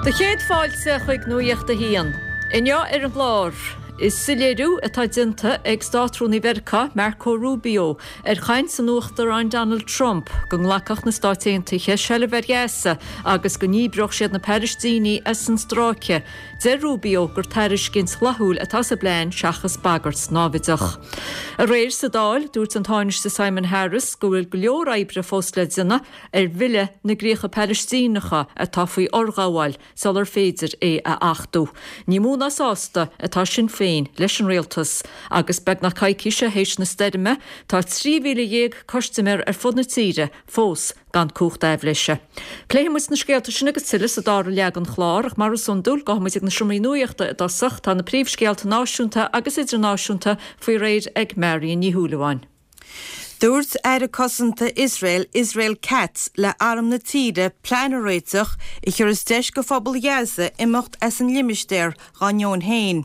Do chéad fáilte chuig Nuacht a hAon. Inniu ar an gclár, is soiléiriú atá déanta ag Státrúnaí Mheiriceá, Marco Rubio, ar chaint an Uachtaráin Donald Trump go nglacfadh na Stáit Aontaithe seilbh ar Ghaza agus go ndíbreodh siad na Palaistínigh as an stráice. Deir Rubio gur tairiscint fhlaithiúil atá sa bplean seachas bagairt náimhdeach. Aréir sa Dáil, dúirt an Tánaiste Simon Harris go bhfuil go leor oibre fós le déanamh ar Bhille na gCríocha Palaistíneacha atá faoi fhorghabháil sular féidir é a achtú. Ní mó ná sásta atá Sinn Féin leis an rialtas agus beagnach coicís théis na stoirme tá 13,000 custaiméir ar fud na tíre fós gan cumhacht aibhléise. Pléifidh muid na scéalta sin agus tuilleadh sa dara leath den chlár ach mar is iondúil gabhfaidh muid ag na seomraí nuachta i dtosach. Tá na príomhscéalta náisiúnta agus idirnáisiúnta faoi réir ag Marion Ní Shúilleabháin. Dúirt Aire Cosanta Iosrael, Israel Katz, le arm na tíre plean a réiteach a thiúrfas deis go phobal Ghaza imeacht as an limistéar dhá ndeoin féin.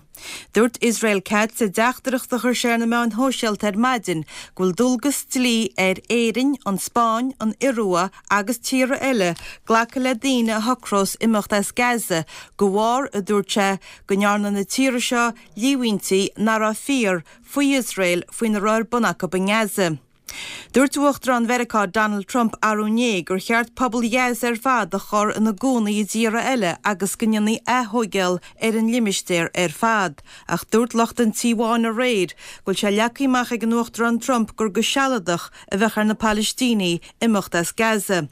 Dúirt Israel Katz i dteachtaireacht a chuir sé ar na meáin shóisialta ar maidin go bhfuil dualgas dlí ar Éirinn, an Spáinn, an Iorua agus tíortha eile glacadh le daoine a shocrós imeacht as Gaza de bharr, a dúirt sé, go ndearna na tíortha seo líomhaintí nach raibh fíor faoi Iosrael faoina raibh ar bun acu i nGaza. Dúirt Uachtarán Mheiriceá Donald Trump arú inné gur cheart pobal Ghaza ar fad a chur ina gcónaí i dtíortha eile agus go ndéanfaí aththóigeáil ar an limistéar ar fad. Ach dúirt lucht an Tí Bháin aréir go bhfuil sé leagtha amach ag an Uachtarán Trump gur go sealadach a bheadh ar na Palaistínigh imeacht as Gaza.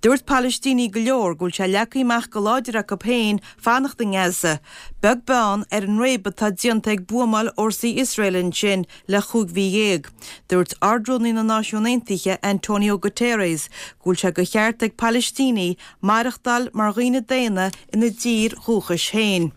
Dúirt Palaistínigh go leor go bhfuil sé leagtha amach go láidir acu féin fanacht i nGaza, beag beann ar an réabadh atá déanta ag buamáil fhórsaí Iosrael ansin le chúig mhí dhéag. Dúirt Ard-Rúnaí na Náisiún Aontaithe, Antonio Guterres, go bhfuil sé de cheart ag Palaistínigh maireachtáil mar dhaoine daonna ina dtír dhúchais féin.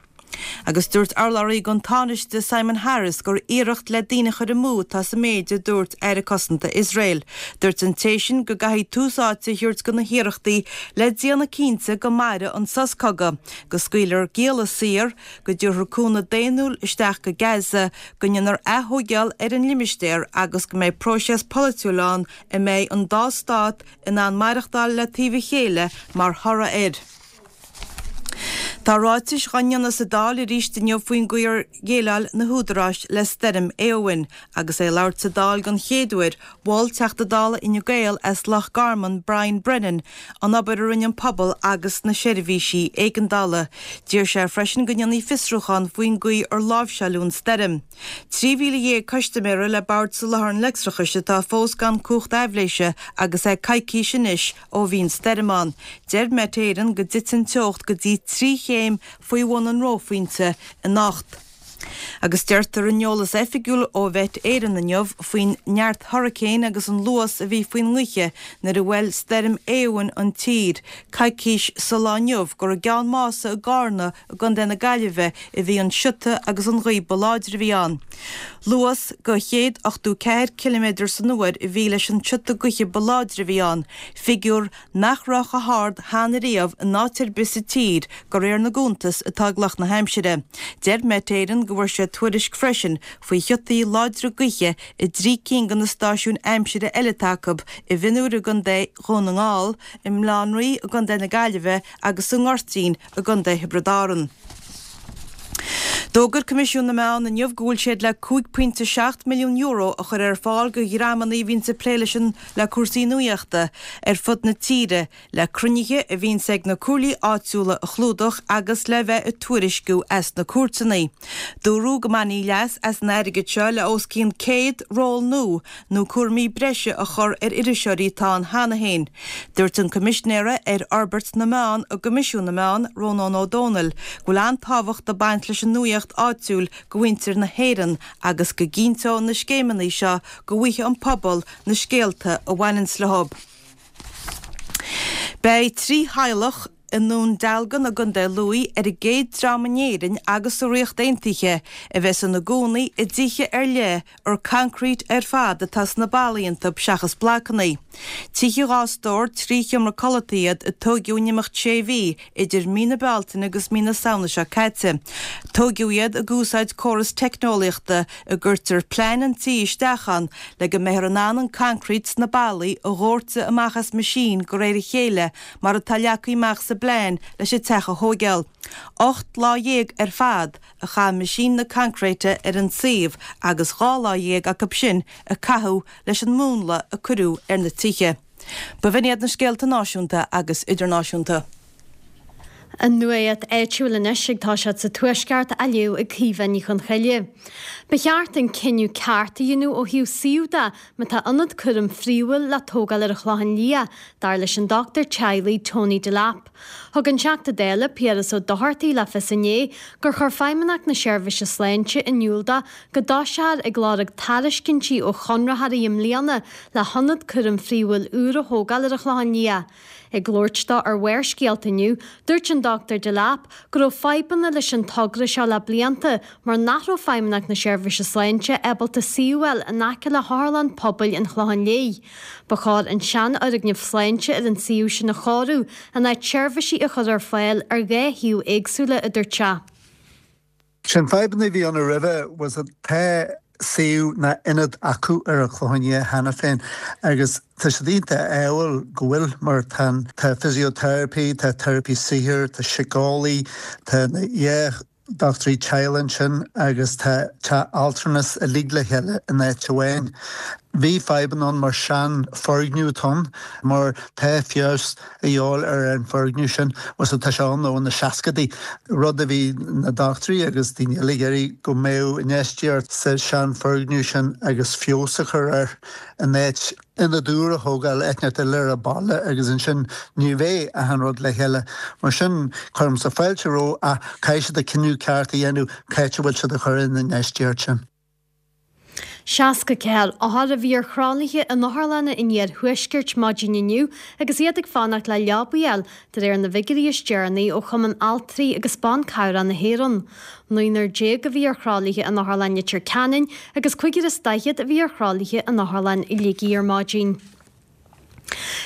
Agus dúirt urlabhraí don Tánaiste Simon Harris gur iarracht le daoine a chur amú atá sa méid a dúirt Aire Cosanta Iosrael. Dúirt an té sin go gcaithfí tús áite a thabhairt do na hiarrachtaí le déanamh cinnte go mairfidh an sos cogaidh, go scaoilfear gialla saor, go dtabharfar cúnamh daonnúil isteach go Gaza, go ndéanfar aththóigeáil ar an limistéar agus go mbeidh próiseas polaitiúil ann a mbeidh an dá stát in ann maireachtáil le taobh a chéile mar thoradh air. Tá ráitis dhá ndéanamh sa Dáil arís inniu faoin gcaoi ar dhéileáil na húdaráis le Stoirm Éowyn. Agus é ag labhairt sa Dáil den chéad uair, mhol Teachta Dála Fhine Gael as Loch Garman, Brian Brennan, an obair a rinne an pobal agus na seirbhísí éigeandála. D'iarr sé freisin go ndéanfaí fiosrúchán faoin gcaoi ar láimhseáileadh an stoirm. 13,000 custaiméara le Bord Soláthair an Leictreachais atá fós gan cumhacht aibhléise agus é coicís anois Ó bhí an stoirm ann, deir Met Éireann go dtitfidh an teocht go dtí 3 chéim faoi bhun an reophointe anocht. Agus deirtear in eolas oifigiúil ó Mhet Éireann inniu faoin neart hurricane agus an luas a bhí faoin ngaoithe nuair a bhuail stoirm Éowyn an tír coicís sa lá inniu gur i gCeann Mása i gCarna i gContae na Gaillimhe a bhí an siota agus an ghaoth ba láidre a bhí ann. Luas de 184 ciliméadar san uair a bhí leis an tsiota gaoithe ba láidre a bhí ann, figiúr nach raibh chomh hard cheana riamh in áit ar bith sa tír de réir na gcuntas atá ag lucht na haimsire. Deir Met Éireann go bhfuair siad tuairisc freisin faoi shiotaí láidre gaoithe i dtrí cinn de na stáisiúin aimsire eile atá acu, i bhFionnúr i gContae Dhún na nGall, i mBaile Átha an Rí i gContae na Gaillimhe agus sa nGoirtín i gContae Thiobraid Árann. D'fhógair Coimisiún na Meán inniu go bhfuil siad le €5.7 milliún a chur ar fáil do dhreamanna a bhíonns ag plé leis an le cúrsaí nuachta ar fud na tíre, le cruinnithe a bhíonns ag na comhairlí áitiúla a chlúdach agus le bheith ag tuairisciú as na cúirteanna. Dúradh go mbainfí leas as an airgead seo le os cionn 100 ról nua nó cúraimí breise a chur ar iriseoirí atá ann cheana féin. Dúirt an Coimisinéara ar Fhorbairt na Meán i gCoimisiún na Meán, Rónán Ó Domhnaill, go bhfuil an-tábhacht ag baint leis an nuaíocht áitiúil do mhuintir na hÉireann agus go gcinnteoidh na scéimeanna seo go bhfaighidh an pobal na scéalta a bhaineanns leo. Beidh 3 theaghlach i nDún Dealgan i gContae Lú ar an gcéad dream in Éirinn agus sa Ríocht Aontaithe a bheas ina gcónaí i dtithe ar leith ar concrete ar fad atá sna ballaí iontu seachas blocanna. Tithe 2 stór, 3 sheomra codlata iad a tóigeadh in imeacht sé mhí idir mí na Bealtaine agus mí na Samhna seo caite. Tóigeadh iad ag úsáid córas teicneolaíochta a gcuirtear plean an tí isteach ann le go mbeifear in ann an concrete sna ballaí a dhóirteadh amach as meaisín de réir a chéile mar atá leagtha amach sa. bplean leis an teach a thóigeáil. 18 lá ar fad a chaith meaisín na coincréite ar an suíomh agus 12 lá acu sin a caitheadh leis an múnla a cuireadh ar na tithe. B'in iad na scéalta náisiúnta agus idirnáisiúnta. An nuacht áitiúil anois ag toiseacht sa Tuaisceart á léamh ag Caoimhe Ní Chonchoille. Ba cheart an cinneadh ceart a dhéanamh ó thaobh suíomh de má tá ionad cúraim phríomhúil le tógáil ar an Chlochán Liath, dar leis an dochtúir teaghlaigh Tony Delap. Thug an Teachta Dála Piaras Ó Dochartaigh le fios inné gur chuir Feidhmeannacht na Seirbhíse Sláinte in iúl dó go dtoiseofar ag lorg tairiscintí ó chonraitheoirí i mbliana le hionad cúraim phríomhúil úr a thógáil ar an Chlochán Liath. Ag labhairt dó ar Bharrscéalta inniu, dúirt an Dr Delap go raibh fadhbanna leis an togra seo le blianta mar nach raibh Feidhmeannacht na Seirbhíse Sláinte ábalta suíomh a fháil in aice le hOtharlann Pobail an Chlocháin Léith. Ba chóir an seanfhoirgneamh sláinte ar an suíomh sin a chóiriú in áit seirbhísí a chur ar fáil ar dhá shuíomh éagsúla, a dúirt sé. Sé'n fadhbanna a bhí ann roimhe was that tá suíomh ná ionad acu ar an Chlochán Liath cheana féin agus tá siad iontach ádhúil go bhfuil mar tá an tá physiotherapy, tá teiripí saothair, tá síceolaí, tá na dhá dochtúirí teaghlaigh ansin agus tá teach altranais uilig le chéile in áit amháin. Bhí fadhbanna ann mar sean foirgneamh atá ann mar tá feabhas a dhíobháil ar an foirgneamh sin was tá sé ann ó na seascadaí, rud a bhí na dochtúirí agus daoine eile ag iarraidh go mbeadh infheistíocht sa sean foirgneamh sin agus feabhas a chur air in áit ionad úr a thógáil áit inteacht eile ar an baile agus ansin ní bheidh achan rud le chéile. Mar sin cuirimse fáilte rompu ach caithfidh siad an cinneadh ceart a dhéanamh cá háit a bhfuil siad ag cur an infheistíocht sin. 64 othar a bhí ar thralaithe in otharlanna an iarthuaiscirt maidin inniu agus iad ag fanacht le leabaí a fháil, de réir na bhfigiúirí is deireanaí ó Chumann Altraí agus Ban Cabhrach na hÉireann. Naonúr déag a bhí ar thralaithe in Otharlann Leitir Ceanainn agus cúigear is daichead a bhí ar thralaithe in Otharlann Shligigh ar maidin.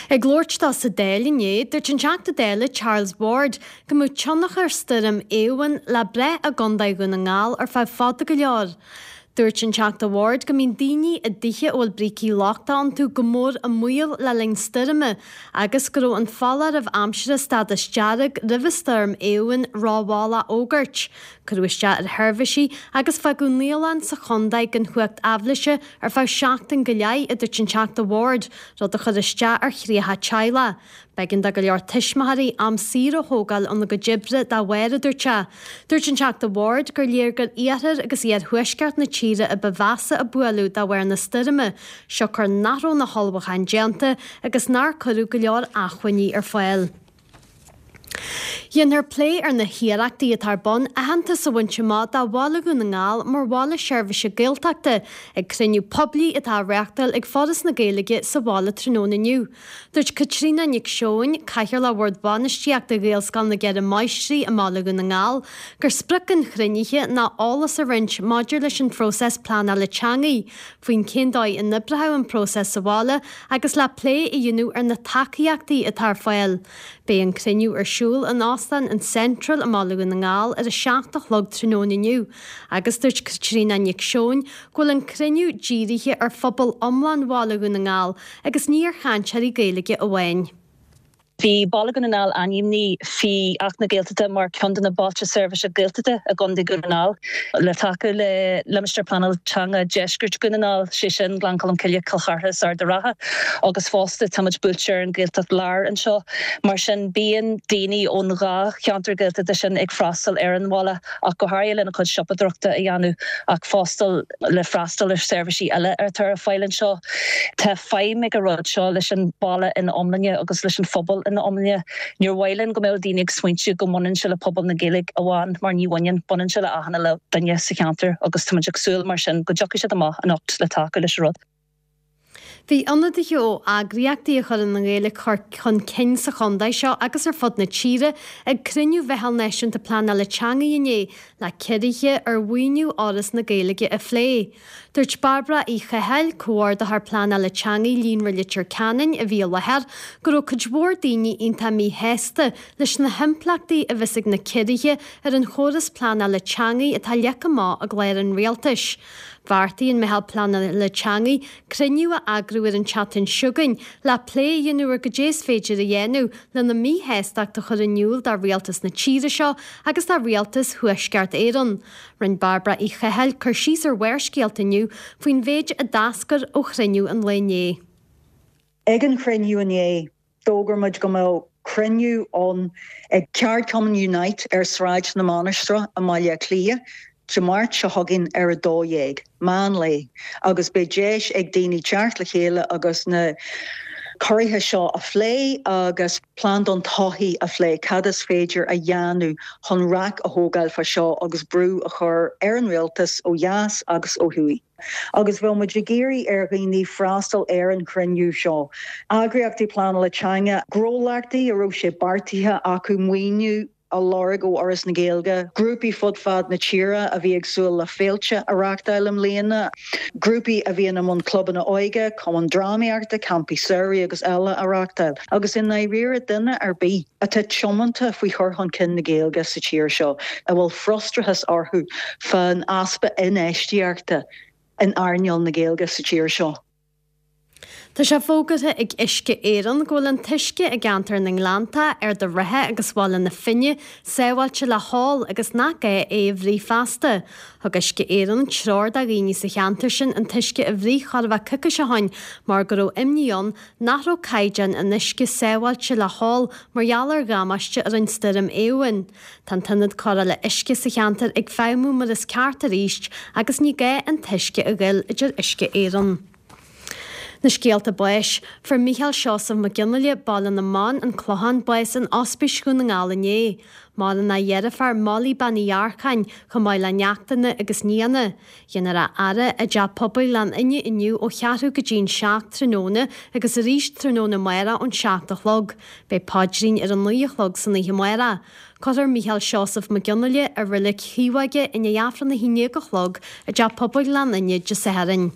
Ag labhairt dó sa Dáil inné, dúirt an Teachta Dála Charles Ward go mbeadh tionchar stoirm Éowyn le brath i gContae Dhún na nGall ar feadh fada go leor. Dúirt an Teachta Ward go mbíonn daoine i dtithe a bhfuil brící lochtacha iontu go mór i mbaol le linn stoirme agus go raibh an foláireamh aimsire stádas dearg roimhe stoirm Éowyn rómhall á fhógairt. Cuireadh isteach ar sheirbhísí agus fágadh naíolann sa chontae gan chumhacht aibhléise ar feadh seachtain go leith, a dúirt an Teachta Ward, rud a chuir isteach ar thríocha teaghlach. B'éigean do go leor tuismitheoirí am saor a thógáil óna gcuid oibre dá bharr, a dúirt sé. Dúirt an Teachta Ward gur léir gur iarthar agus iarthuaisceart na tíre a ba mheasa a buaileadh de bharr na stoirme, siocair nach raibh na hullmhúcháin déanta agus nár cuireadh go leor acmhainní ar fáil. Déanfar plé ar na hiarrachtaí atá ar bun aitheantas a bhaint amach do Bhaile Dhún na nGall mar bhaile seirbhíse Gaeltachta ag cruinniú poiblí atá á reáchtáil ag Foras na Gaeilge sa bhaile tráthnóna inniu. Dúirt Caitríona Nic Seoin, Cathaoirleach Bhord Bainistíochta Ghaelscoil na gCeithre Máistrí i mBaile Dhún na nGall, gur sprioc an chruinnithe ná eolas a roinnt maidir leis an phróiseas pleanála teanga, faoin cén dóigh a n-oibreoidh an próiseas sa bhaile agus le plé a dhéanamh ar na tacaíochtaí atá ar fáil. Beidh an cruinniú ar siúl in Óstán an Central i mBaile Dhún na nGall ar a 7 a chlog tráthnóna inniu agus dúirt Caitríona Nic Seoin go bhfuil an cruinniú dírithe ar phobal iomlán Bhaile Dhún na nGall agus ní ar chainteoirí Gaeilge amháin. Bhí Baile Dhún na nGall ainmnithe faoi Acht na Gaeltachta mar ceann de na Bailte Seirbhíse Gaeltachta i gContae Dhún na nGall. Le tacú le Limistéar Pleanála Teanga Deiscirt Dhún na nGall, sé sin Gleann Cholm Cille, Cill Chartha is Ard a' Rátha, agus fosta táimid buailte ar an Ghaeltacht Láir anseo. Mar sin bíonn daoine ón dhá cheantar Gaeltachta sin ag freastal ar an bhaile ach go háirithe lena chuid siopadóireachta a dhéanamh ach fosta le freastal ar seirbhísí eile atá ar fáil anseo. Tá feidhm ag an rud seo leis an baile ina iomláine agus leis an phobal ina iomláine. Níor mhaith linn go mbeadh daoine ag smaointiú go mbaineann sé le pobal na Gaeilge amháin mar ní bhaineann, baineann sé le achan uile duine sa cheantar agus táimid ag súil mar sin go dtiocfaidh siad amach anocht le tacú leis an rud. Bhí ionadaithe ó eagraíochtaí a chuireann an Ghaeilge chun cinn sa chontae seo agus ar fud na tíre ag cruinniú Mheitheal Náisiúnta Pleanála Teanga inné le ciorruithe ar mhaoiniú Fhoras na Gaeilge a phlé. Dúirt Bairbre Uí Chathail, Comhordaitheoir Pleanála Teanga Líonra Leitir Ceanainn a bhí i láthair, go raibh cuid mhór daoine iontach míshásta leis na himpleachtaí a bheas ag na ciorruithe ar an chóras pleanála teanga atá leagtha amach i gclár an Rialtais. Bheartaigh an Meitheal Pleanála Teanga cruinniú a eagrú ar an tseachtain seo chugainn le plé a dhéanamh ar goidé is féidir a dhéanamh lena míshástacht a chur in iúl do rialtas na tíre seo agus do rialtas Thuaisceart Éireann. Rinne Bairbre Uí Chathail cur síos ar Bharrscéalta inniu faoin mhéid a d'eascair ó chruinniú an lae inné. Ag an chruinniú inné, d'fhógair muid go mbeadh cruinniú ann ag ceardchumann Unite ar Sráid na Mainistreach i mBaile Átha Cliath Dé Máirt seo chugainn ar 12:00, meán lae, agus beidh deis ag daoine teacht le chéile agus na ciorruithe seo a phlé agus plean don todhchaí a phlé, cad is féidir a dhéanamh chun raic a thógáil fá seo agus brú a chur ar an rialtas ó dheas agus ó thuaidh. Agus bheadh muid ag iarraidh ar dhaoine freastal ar an chruinniú seo. Eagraíochtaí pleanála teanga, gnólachtaí a raibh sé beartaithe acu maoiniú a lorg ó Fhoras na Gaeilge, grúpaí fud fad na tíre a bhí ag súil le féilte a reáchtáil i mbliana, grúpaí a bhíonn i mbun clubanna óige, cumainn drámaíochta, campaí samhraidh agus eile a reáchtáil, agus i ndáiríre duine ar bith atá tiomanta faoi chur chun cinn na Gaeilge sa tír seo, a bhfuil frustrachas orthu fán easpa infheistíochta in earnáil na Gaeilge sa tír seo. Tá sé fógartha ag Uisce Éireann go bhfuil an t-uisce i gceantar na nGleannta, Ard an Rátha agus Bhaile na Finne sábháilte le hól agus nach gá é a bhruith feasta. Thug Uisce Éireann treoir do dhaoine sa cheantar sin an t-uisce a bhruith chóir a bheith coicís ó shin mar go raibh imní ann nach raibh caighdeán an uisce sábháilte le hól mar gheall ar dhamáiste a rinne Stoirm Éowyn. Tá an t-ionad cóireála uisce sa cheantar ag feidhmiú mar is ceart arís agus ní gá an t-uisce a ghoil, a deir Uisce Éireann. Na scéalta báis. Fuair Mícheál Seosamh Mac Fhionnghaile, Baile na mBan, An Clochán, bás in Ospís Dhún na nGall inné. Maireann a dheirfiúr, Molly Bean Uí Dhearcáin, chomh maith le neachtanna agus nianna. Déanfar a fhaire i dTeach Pobail Ghleann Fhinne inniu ó cheathrú go dtí an 7 tráthnóna agus arís tráthnóna amárach ón 7 a chlog. Beidh paidrín ar a 9 a chlog san oíche amárach. Cuirfear Mícheál Seosamh Mac Fhionnghaile i Reilig Chaomhóige i ndiaidh Aifreann a 11 a chlog i dTeach Pobail Ghleann Fhinne Dé Sathairn.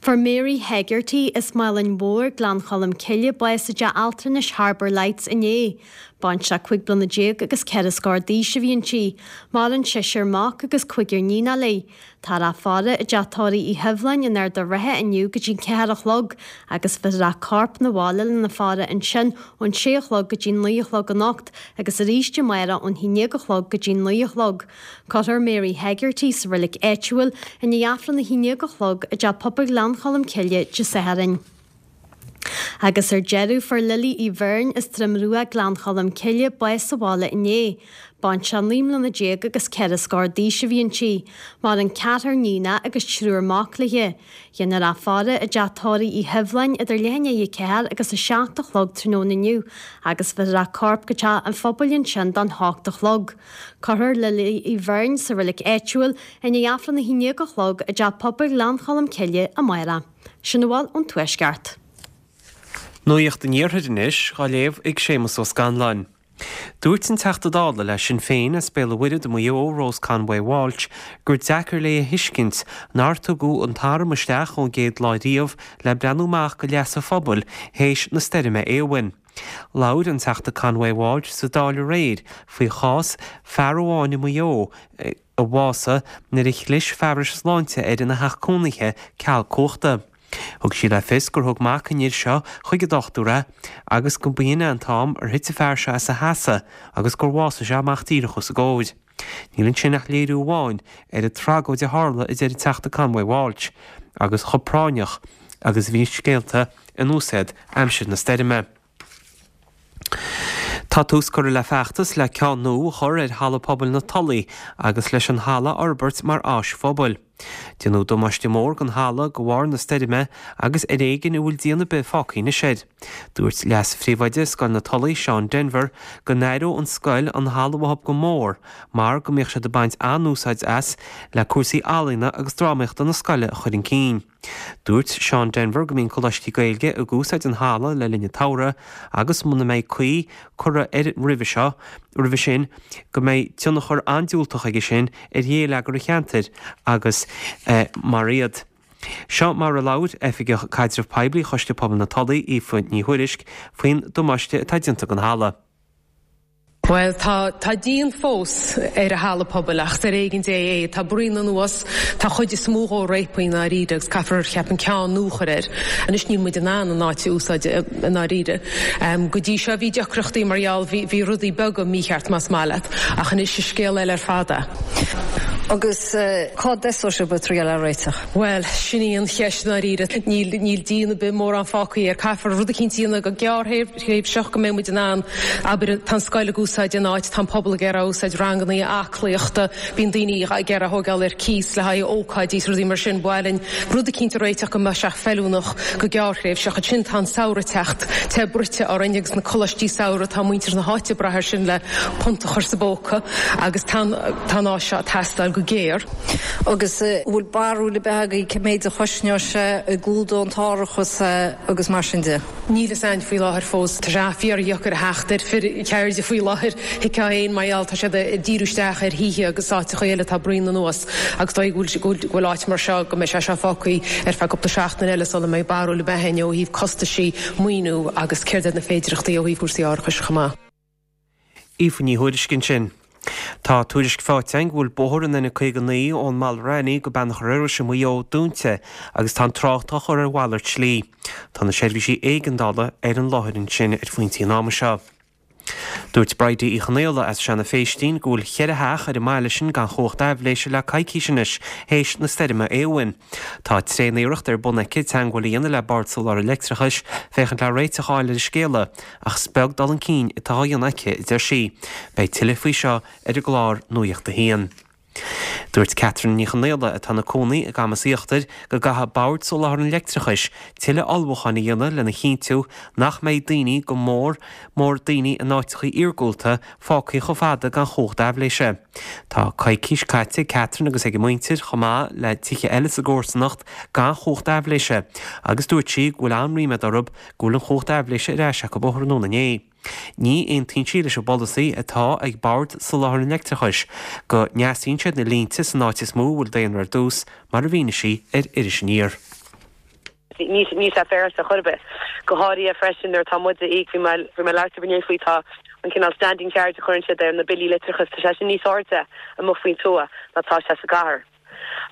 Fuair Mary Hegarty as Málainn Mhór, Gleann Cholm Cille, bás i dteach altranais Harbour Lights inné. Baintreach 15 bliana agus ceithre scór d'aois a bhí inti. Maireann seisear mac agus cúigear níonach léi. Táthar á faire i dteach tórraimh Uí Sheibhleáin in Ard an Rátha inniu go dtí an ceathair a chlog agus bheifear a corp 'na bhaile lena faire ansin ón sé a chlog go dtí an naoi a chlog anocht agus arís amárach ón haon déag a chlog go dtí an naoi a chlog. Cuirfear Mary Hegarty sa reilig áitiúil i ndiaidh Aifreann a haon déag a chlog i dTeach Pobail Ghleann Cholm Cille Dé Sathairn. Agus ar deireadh, fuair Lily Uí Bheirn as Droim Rua, Gleann Cholm Cille, bás sa bhaile inné. Baintreach 19 mbliana agus ceithre scór d'aois a bhí inti. Maireann ceathrar níonach agus triúr mac léi. Déanfar a faire i dteach tórraimh Uí Sheibhleáin idir leath i ndiaidh a ceathair agus a seacht a chlog tráthnóna inniu agus bheifear a corp go teach an phobail ansin don hocht a chlog. Cuirfear Lily Uí Bheirn sa reilig áitiúil i ndiaidh Aifreann a haon déag a chlog i dTeach Pobail Ghleann Cholm Cille amárach. Sin a bhfuil ón Tuaisceart. Nuacht an Iarthair anois, á léamh ag Séamus Ó Scanláin. Dúirt an Teachta Dála le Sinn Féin as Béal an Mhuirthead i Maigh Eo, Rose Conway Walsh, gur deacair léi a thuiscint nár tugadh an t-arm isteach ón gcéad lá riamh le breathnú amach do leas an phobail théis na stoirme Éowyn. Labhair an Teachta Conway Walsh sa Dáil aréir faoi chás fear amháin i Maigh Eo a bhásaigh nuair a chlis fearais sláinte air ina theach cónaithe ceal cumhachta. Thug sí le fios gur thug mac an fhir seo chuig an dochtúir é agus go b'in é an t-am ar thit an fear seo as a sheasamh agus gur bhásaigh sé amach díreach os a gcomhair. Níl ansin ach léiriú amháin ar an tragóid a tharla, a deir an Teachta Conway Walsh, agus chomh práinneach agus a bhí scéalta anuas iad aimsir na stoirme. Tá tús curtha le feachtas le ceann nua a chur ar Halla Pobail na Tulaí agus leis an halla a fhorbairt mar áis phobail. Déanadh damáiste mór don halla de bharr na stoirme agus ar éigin a bhfuil díon ar bith fágtha anois air. Dúirt Leas-Phríomhoide Scoil na Tulaí, Seán Denvir, go n-aireodh an scoil an halla uathu go mór mar go mbíodh siad ag baint an-úsáid as le cúrsaí ealaíona agus drámaíochta na scoile a chur chun cinn. Dúirt Seán Denvir go mbíonn coláistí Gaeilge ag úsáid an halla le linn an tsamhraidh agus muna mbeidh caoi curtha air roimhe seo, roimhe sin, go mbeidh tionchar an-diúltach aige sin ar ghéilleagar an cheantair agus. mar iad. Seo mar a labhair Oifigeach Caidreamh Poiblí Choiste Pobail na Tulaí, Aoife Ní Thuairisg, faoin damáiste atá déanta don halla. Bhuel, tá, tá díon fós ar an halla pobail ach is ar éigean Dé é. Tá bruíon anuas, tá chuid is mó dhó réabtha i ndáiríre agus caithfear, cheapfainn, ceann nua a chur air. Anois níl muid in ann an áit a úsáid i ndáiríre. Go dtí seo bhí deacrachtaí mar gheall, bhí, bhí rudaí beaga mícheart más maith leat ach anois is scéal eile ar fad é. Agus cá dtosóidh sibh ag triail é a réiteach? Bhuel, sin í an cheist i ndáiríre. Níl, níl díon ar bith mórán fágtha air. Caithfear rud eicínt a dhéanamh go gearrthréimhseach go mbeidh muid in ann, abair, tá an scoil ag úsáid an áit, tá an pobal ag iarraidh úsáid, rangannaí aclaíochta, bíonn daoine ag iarraidh thógáil ar cíos le haghaidh ócáidí is rudaí mar sin. Ba mhaith linn rud eicínt a réiteach go mbeadh sé feiliúnach go gearrthréimhseach. Ansin tá an samhradh ag teacht, te bruite orainn agus na coláistí samhraidh, tá muintir na háite ag brath air sin le punt a chur sa bpóca agus tá an tá an áis seo ag teastáil go géar. Agus an bhfuil barúil ar bith agaibh cé méid a chosnóidh sé, an gclúdóidh an t-árachas é agus mar sin de? Níl fhios a'inn faoi láthair fós. Tá sé fíordheacair a theacht ar fir ceirde faoi láthair, thuigfeá fhéin, mar gheall, tá siad ag díriú isteach ar thithe agus áiteacha eile atá bruíon anuas agus dóigh go bhfuil go bhfuil áit mar seo, go mbeidh sé seo fágtha ar feadh cúpla seachtain eile sula mbeidh barúil ar bith a'inn ó thaobh costaisí, maoiniú agus céard iad na féidireachtaí ó thaobh cúrsaí árachais chomh maith. Aoife Ní Thuairisg ansin. Tá tuairisc faighte againn go bhfuil bóthar an N59 ón mBaile Raithní go Beannachar Iorrais i Maigh Eo dúnta agus tá an trácht á chur ar mhalairt slí. Tá na seirbhísí éigeandála ar an láthair ansin ar phointí an ama seo. Dúirt Bridie Uí Chonaola as Seanadh Phéistín go bhfuil cheithre theach ar an mbaile sin gan chumhacht aibhléise le coicís anois théis na stoirme Éowyn. Tá tréan-iarracht ar bun aici teagmháil a dhéanamh le Bord Soláthair Leictreachais féachaint le réiteach a fháil ar an scéala ach is beag dul chun cinn atá á dhéanamh aici, a deir sí. Beidh tuilleadh faoi seo ar an gclár Nuacht a hAon. Dúirt Catherine Ní Chonaola, atá ina cónaí i gCamas Íochtair, go gcaithfidh Bord Soláthair an Leictreachais tuilleadh ullmhúcháin a dhéanamh lena chinntiú nach mbeidh daoine, go mór mór daoine in áiteacha iargúlta, fágtha chomh fada gan chumhacht aibhléise. Tá coicís caite ag Catherine agus ag a muintir, chomh maith le tithe eile sa gcomharsanacht, gan chumhacht aibhléise agus dúirt sí go bhfuil an-ríméad orthu go bhfuil an chumhacht aibhléise ar ais acu ó thráthnóna inné. Ní aontaíonn sí leis an bpolasaí atá ag Bord Soláthair an Leictreachais go ndeasaíonn siad na línte san áit is mó a bhfuil daonra ar dtús, mar a mhínigh sí ar Iris Aniar. Níl sé féaráilte chor ar bith. Go háirithe freisin nuair atá muid ag íoc, bhí mé bhí mé ag labhairt libh inné faoi, tá an cineál standing charge a chuireann siad ar na billí leictreachais, tá sé sin níos airde amuigh faoin tuath ná tá sé sa gcathair.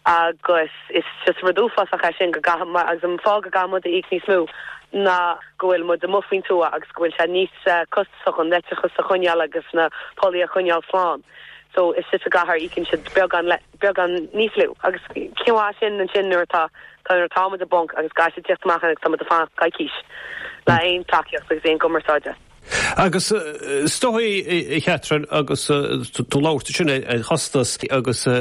Agus is just rud uafásach é sin go gcaithfidh, agus an fáth go gcaithfidh muid a íoc níos mó ná go bhfuil muid amuigh faoin tuath agus go bhfuil sé níos costasach an leictreachas a choinneáil agus na pollaí a choinneáil slán. So istigh sa gcathair íocann siad beagán beagán níos lú. Agus cén mhaith sin ansin nuair atá nuair atá muid i bponc agus caithfidh siad tíocht amach agus tá muid ag fanacht coicís le aon tacaíocht agus aon gcumarsáide. Agus is dóigh, a Chatherine, agus tú ag labhairt ansin ar chostas agus i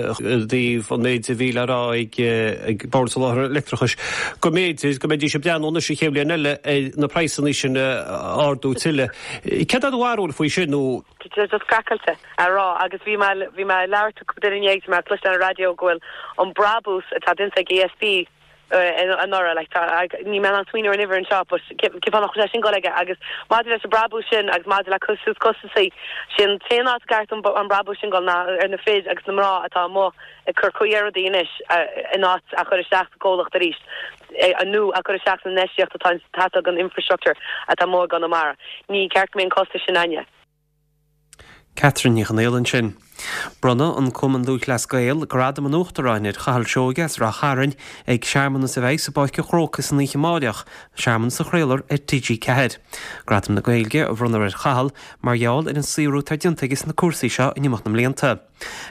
dtaobh an méid a bhí le rá ag Bord Soláthair Leictreachais, go mb'fhéidir go mbeidís ag breathnú anois an chéad bhliain eile ar na praghsanna sin a ardú tuilleadh. Céard é do bharúil faoi sin nó? Tá sé just craiceáilte a rá agus bhí mé bhí mé ag labhairt le cúpla duine inné agus bhí mé ag cloisteáil ar an raidió go bhfuil an brabús atá déanta ag ESB anuraidh like tá níl mé in ann smaoineamh ar an uimhir anseo but cén fáth nach bhfuil sé sin ag dul aige agus maidir leis an brabús sin agus maidir le cur suas costasaí sin t-aon áit a gceart an an brabús sin dul ná ar na fir agus na mná atá amuigh ag cur caoi ar rudaí anois in áit a chur isteach sa gcomhlacht arís nó a chur isteach san infheistíocht atá ag teastáil don infrastructure atá amuigh i gConamara. Ní ceart go mbeidh an costas sin againne. Catherine Ní Chonaola ansin. Bronnadh an Cumann Lúthchleas Gael Gradam an Uachtaráin ar Chathal Seoige as Rath Chairn ag searmanas a bheidh sa bPáirc an Chrócaigh san oíche amáireach, searmanas a chraolfar ar TG4. Gradam na Gaeilge a bhronnfar ar Chathal mar gheall ar an saothrú atá déanta aige sna cúrsaí seo in imeacht na mblianta.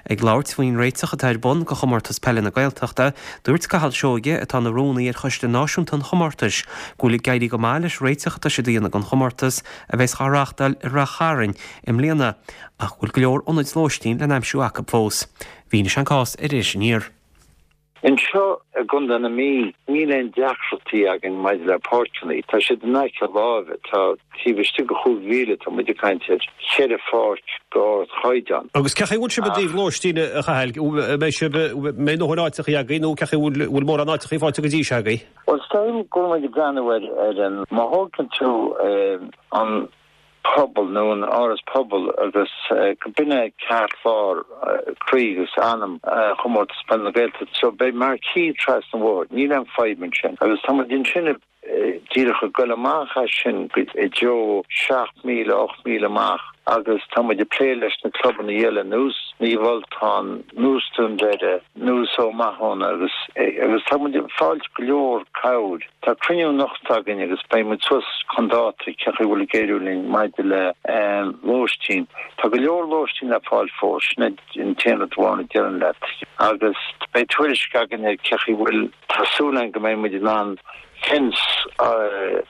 Ag labhairt faoin réiteach atá ar bun do Chomórtas Peile na Gaeltachta, dúirt Cathal Seoige, atá ina rúnaí ar choiste náisiúnta an chomórtais, go bhfuil ag éirí go maith leis réiteach atá siad a dhéanamh don chomórtas a bheas á reáchtáil i Rath Chairn i mbliana, ach go bhfuil go leor ionaid lóistín le n-aimsiú acu fós. Mhínigh sé an cás ar Iris Aniar. Anseo i gContae na Mí, níl aon deacrachtaí againn maidir le páirceanna. Tá siad in aice láimhe. Tá taobh istigh de chúig mhíle, tá muid ag caint ar cheithre pháirc d'ardchaighdeán. Agus cén chaoi a bhfuil sibh i dtaobh lóistín, a Chathail? An mbeidh sibh, an mbeidh a ndóthain áiteachaí agaibh nó cén chaoi a bhfuil, bhfuil mórán áiteachaí faighte go dtí seo agaibh? Bhuel, is dóigh liom go bhfuil muid ag breathnú ar, ar an, má thógann tú an. Pobail nó an Áras Pobail agus go b'in é ceartlár croí agus anam Chomórtas Peile na Gaeltachta. So beidh marquee trasna an bhóthair, níl aon fadhb ansin agus tá muid ansin díreach ag goil amach as sin i dtreo 7 míle, 8 míle amach agus tá muid ag plé leis na clubanna eile nós Naomh Ultán, nós Dún Doire, nós Ó Mathúna agus agus tá muid ag fáilt go leor cabhair. Tá cruinniú anocht againn agus beidh muid suas chun dáta cén chaoi a bhfuil ag éiriú linn maidir le lóistín. Tá go leor lóistín le fáil fós, sin é an t-aon rud amháin a déarfainn leat. Agus beidh tuairisc againn ar cén chaoi a bhfuil, tá súil againn go mbeidh muid in ann fence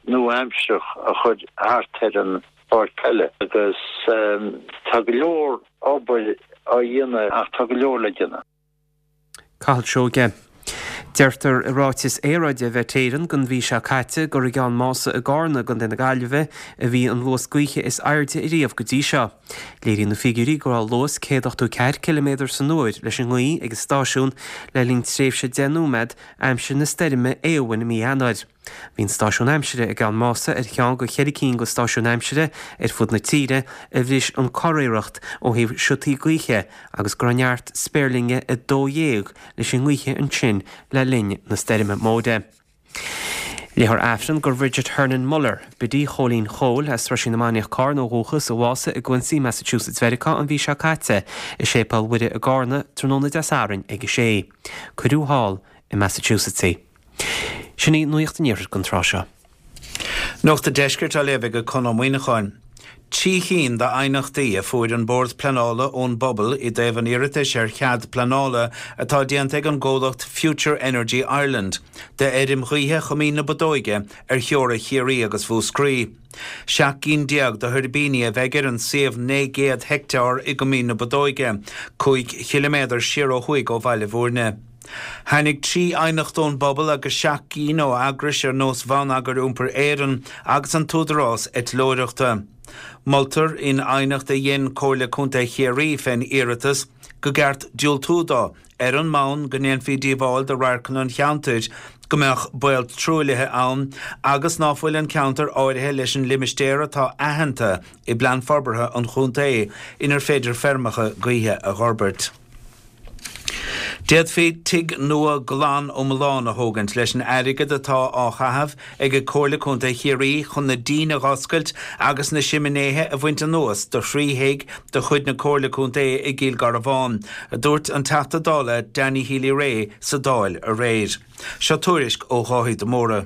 nua-aimsearach a chur thart ar an bpáirc peile agus tá go leor obair á dhéanamh ach tá go leor le déanamh. Cathal Seoige. Deirtear i ráiteas aeráide Mhet Éireann don mhí seo caite gur i gCeann Mása i gCarna i gContae na Gaillimhe a bhí an luas gaoithe is airde ariamh go dtí seo. Léiríonn na figiúirí go raibh luas 184 ciliméadar san uair leis an ngaoth ag an stáisiún le linn tréimhse 10 nóiméad aimsir na stoirme Éowyn i mí Eanáir. Bhí an stáisiún aimsire i gCeann Mása ar cheann de cheithre cinn de stáisiúin aimsire ar fud na tíre a bhris an curiarracht ó thaobh siotaí gaoithe agus go raibh neart spéirlinne 12 leis an ngaoithe ansin le linn na stoirme móire. Léifear Aifreann do Bridget Hernon Muller, Biddy Chóilín Chóil, as Roisín na Mainiach Carna ó dhúchas, a bhásaigh i gQuincy, Massachusetts Mheiriceá an mhí seo caite, i Séipéal Mhuire i gCarna, tráthnóna Dé Sathairn ag a sé. Cuireadh thall i Massachusetts í. Sin í Nuacht an Iarthair don tráth seo. Nuacht an Deiscirt á léamh ag Conn Ó Muíneacháin. 3 chinn d'aighneachtaí a fuair an Bord Pleanála ón bpobal i dtaobh an iarratais ar chead pleanála atá déanta ag an gcomhlacht Future Energy Ireland d'fheirm ghaoithe Choimín na Bodóige ar theora Chiarraí agus Mhúscraí. 17 gcinn de thuirbíní a bheidh ar an suíomh 900 heicteár i gCoimín na Bodóige, 5 chiliméadar siar ó thuaidh ó Bhaile Bhúirne. Tháinig 3 aighneacht ón bpobal agus 7 gcinn ó eagrais ar nós Bhonneagar Iompair Éireann agus an tÚdarás Eitleoireachta. Moltar in aighneacht a dhein Comhairle Contae Chiarraí fén iarratas go gceart diúltú dó ar an mbonn go ndéanfaí díobháil do radharcanna an cheantair, go mbeadh baol truaillithe ann agus ná fuil an ceantar áirithe leis an limistéar atá aitheanta i bPlean Forbartha an Chontae inar féidir feirmeacha gaoithe a dh'fhorbairt. D'fhéadfaí tigh nua glan iomlán a thógaint leis an airgead atá á chaitheamh ag Comhairle Contae Chiarraí chun na díon a dh'oscailt agus na siminéithe a bhaint anuas do thrí thigh de chuid na Comhairle Contae i gCill Garbháin, a dúirt an Teachta Dála Danny Healy-Rae sa Dáil aréir. Seo tuairisc ó Dháithí de Mórdha.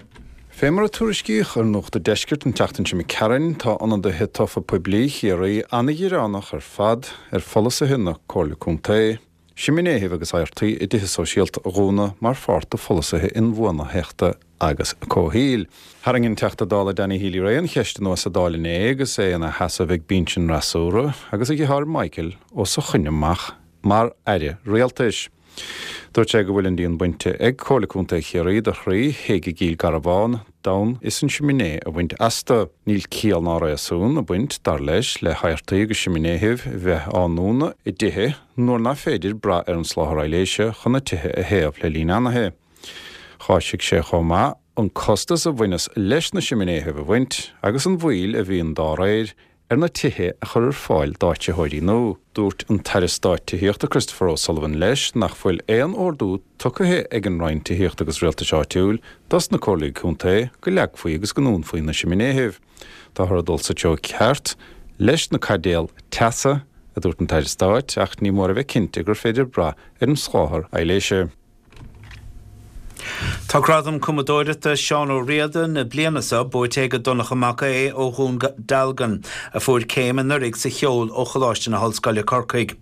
Fé mar a tuairiscíodh ar Nuacht a' Deiscirt an tseachtain seo imigh tharainn, tá ionadaithe tofa poiblí Chiarraí ana-ghearánach ar fad ar pholasaithe na Comhairle Contae, siminéithibh agus adhartaí i dtithe sóisialta a dhúnadh mar pháirt de pholasaithe inbhuanaitheachta agus comhshaoil. Tharraing an Teachta Dála Danny Healy-Rae an cheist anuas sa Dáil inné agus é ina sheasamh ag binse an fhreasúra agus a dheartháir Michael os a choinne amach mar aire rialtais. Dúirt sé go bhfuil an díon bainte ag Comhairle Contae Chiarraí do thrí thigh i gCill Garbháin d'fhonn is an siminé a bhaint astu. Níl ciall ná réasún ag baint, dar leis, le hadhartaí agus siminéithibh bheith á ndúnadh i dtithe nuair nach féidir brath ar an soláthar aibhléise chun na tithe a théamh le linn anaithe. Cháisigh sé chomh maith an costas a bhaineas leis na siminéithibh a bhaint agus an mhoill a bhíonn dá réir ar na tithe a chur ar fáil d'áitritheoirí nua. Dúirt an tAire Stáit Tithíochta Christopher O'Sullivan leis nach bhfuil aon ordú tugtha ag an Roinn Tithíochta agus Rialtais Áitiúil dos na Comhairlí Contae go leagfaí agus go ndúnfaí na siminéithibh. Táthar ag dul sa treo ceart leis na caidéil teasa, a dúirt an tAire Stáit, ach ní mór a bheith cinnte gur féidir brath ar an soláthar aibhléise. Tá Gradam Cumadóireachta Seán Ó Riada na bliana seo buaite ag Donncha Mac Aodha ó Dhún Dealgan, a fuair céim anuraidh sa cheol ó Choláiste na hOllscoile Corcaigh.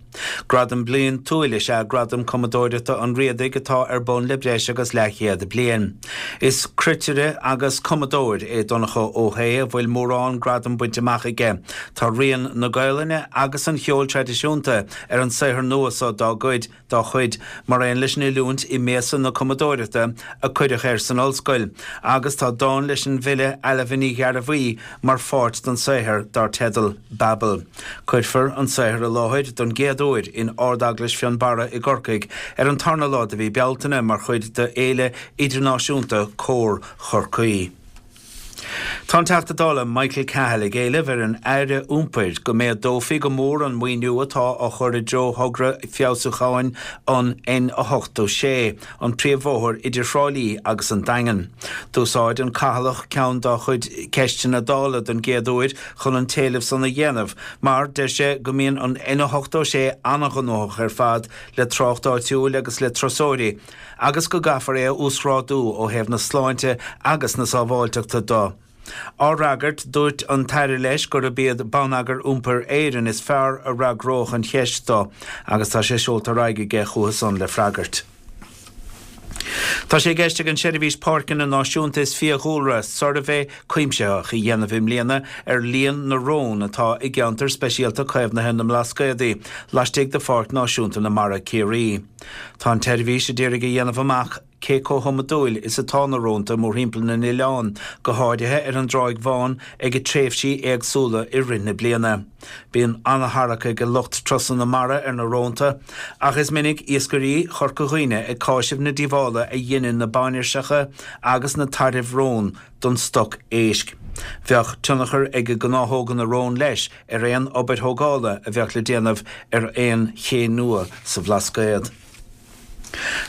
Gradam bliantúil is ea Gradam Cumadóireachta an Riadaigh atá ar bun le breis agus leathchéad bliain. Is cruitire agus cumadóir é Donncha Ó hAodha a bhfuil mórán gradam bainte amach aige. Tá rian na Gaolainne agus an cheoil traidisiúnta ar an saothar nua seo dá gcuid, dá chuid, mar aon leis an oiliúint i mbéasa na cumadóireachta a cuireadh air san ollscoil, agus tá dán leis an bhfile Ailbhe Ní Ghearbhuigh mar pháirt den saothar dar teideal 'Babel'. Cuirfear an saothar i láthair don gcéad uair in Ard-Eaglais Fionnbarra i gCorcaigh ar an tarna lá de mhí Bealtaine mar chuid de Fhéile Idirnáisiúnta Cór Chorcaí. Tá an Teachta Dála Michael Cahill ag éileamh ar an Aire Iompair go méadófaí go mór an maoiniú atá á chur i dtreo thogra feabhsúcháin an N86, an príomhbhóthar idir Thrá Lí agus an Daingean. D'úsáid an Cathalach ceann dá chuid ceisteanna Dála don gcéad uair chun an t-éileamh san a dhéanamh mar, deir sé, go mbíonn an N86 an-ghnóthach ar fad le trácht áitiúil agus le turasóirí agus go gcaithfear é a uasghrádú ó thaobh na sláinte agus na sábháilteachta de. Á fhreagairt, dúirt an tAire leis gurb iad Bonneagar Iompair Éireann is fearr a fhreagródh an cheist dó agus tá sé seolta ar aghaidh aige chucu san le freagairt. Tá sé i gceist ag an Seirbhís Páirceanna Náisiúnta is Fiadhúlra suirbhé cuimsitheach a dhéanamh i mbliana ar líon na rón atá i gCeantar Speisialta Caomhnaithe na mBlascaodaí laistigh de Pháirc Náisiúnta na Mara, Ciarraí. Tá an tseirbhís a d'iarraidh a dhéanamh amach cé chomh hiomadúil is atá na rónta mórthimpeall na n-oileán, go háirithe ar an dTráigh Bhán ag tréimhsí éagsúla i rith na bliana. Bíonn an-tarrac ag lucht turasanna mara ar na rónta, ach is minic iascairí Chorca Dhuibhne ag cáiseamh na díobhála a dheineann na bainiseacha agus na tairbh rón don stoc éisc. Bheadh tionchar ag gnáthóga na rón leis ar aon obair thógála a bheadh le déanamh ar aon ché nua sa Bhlascaod.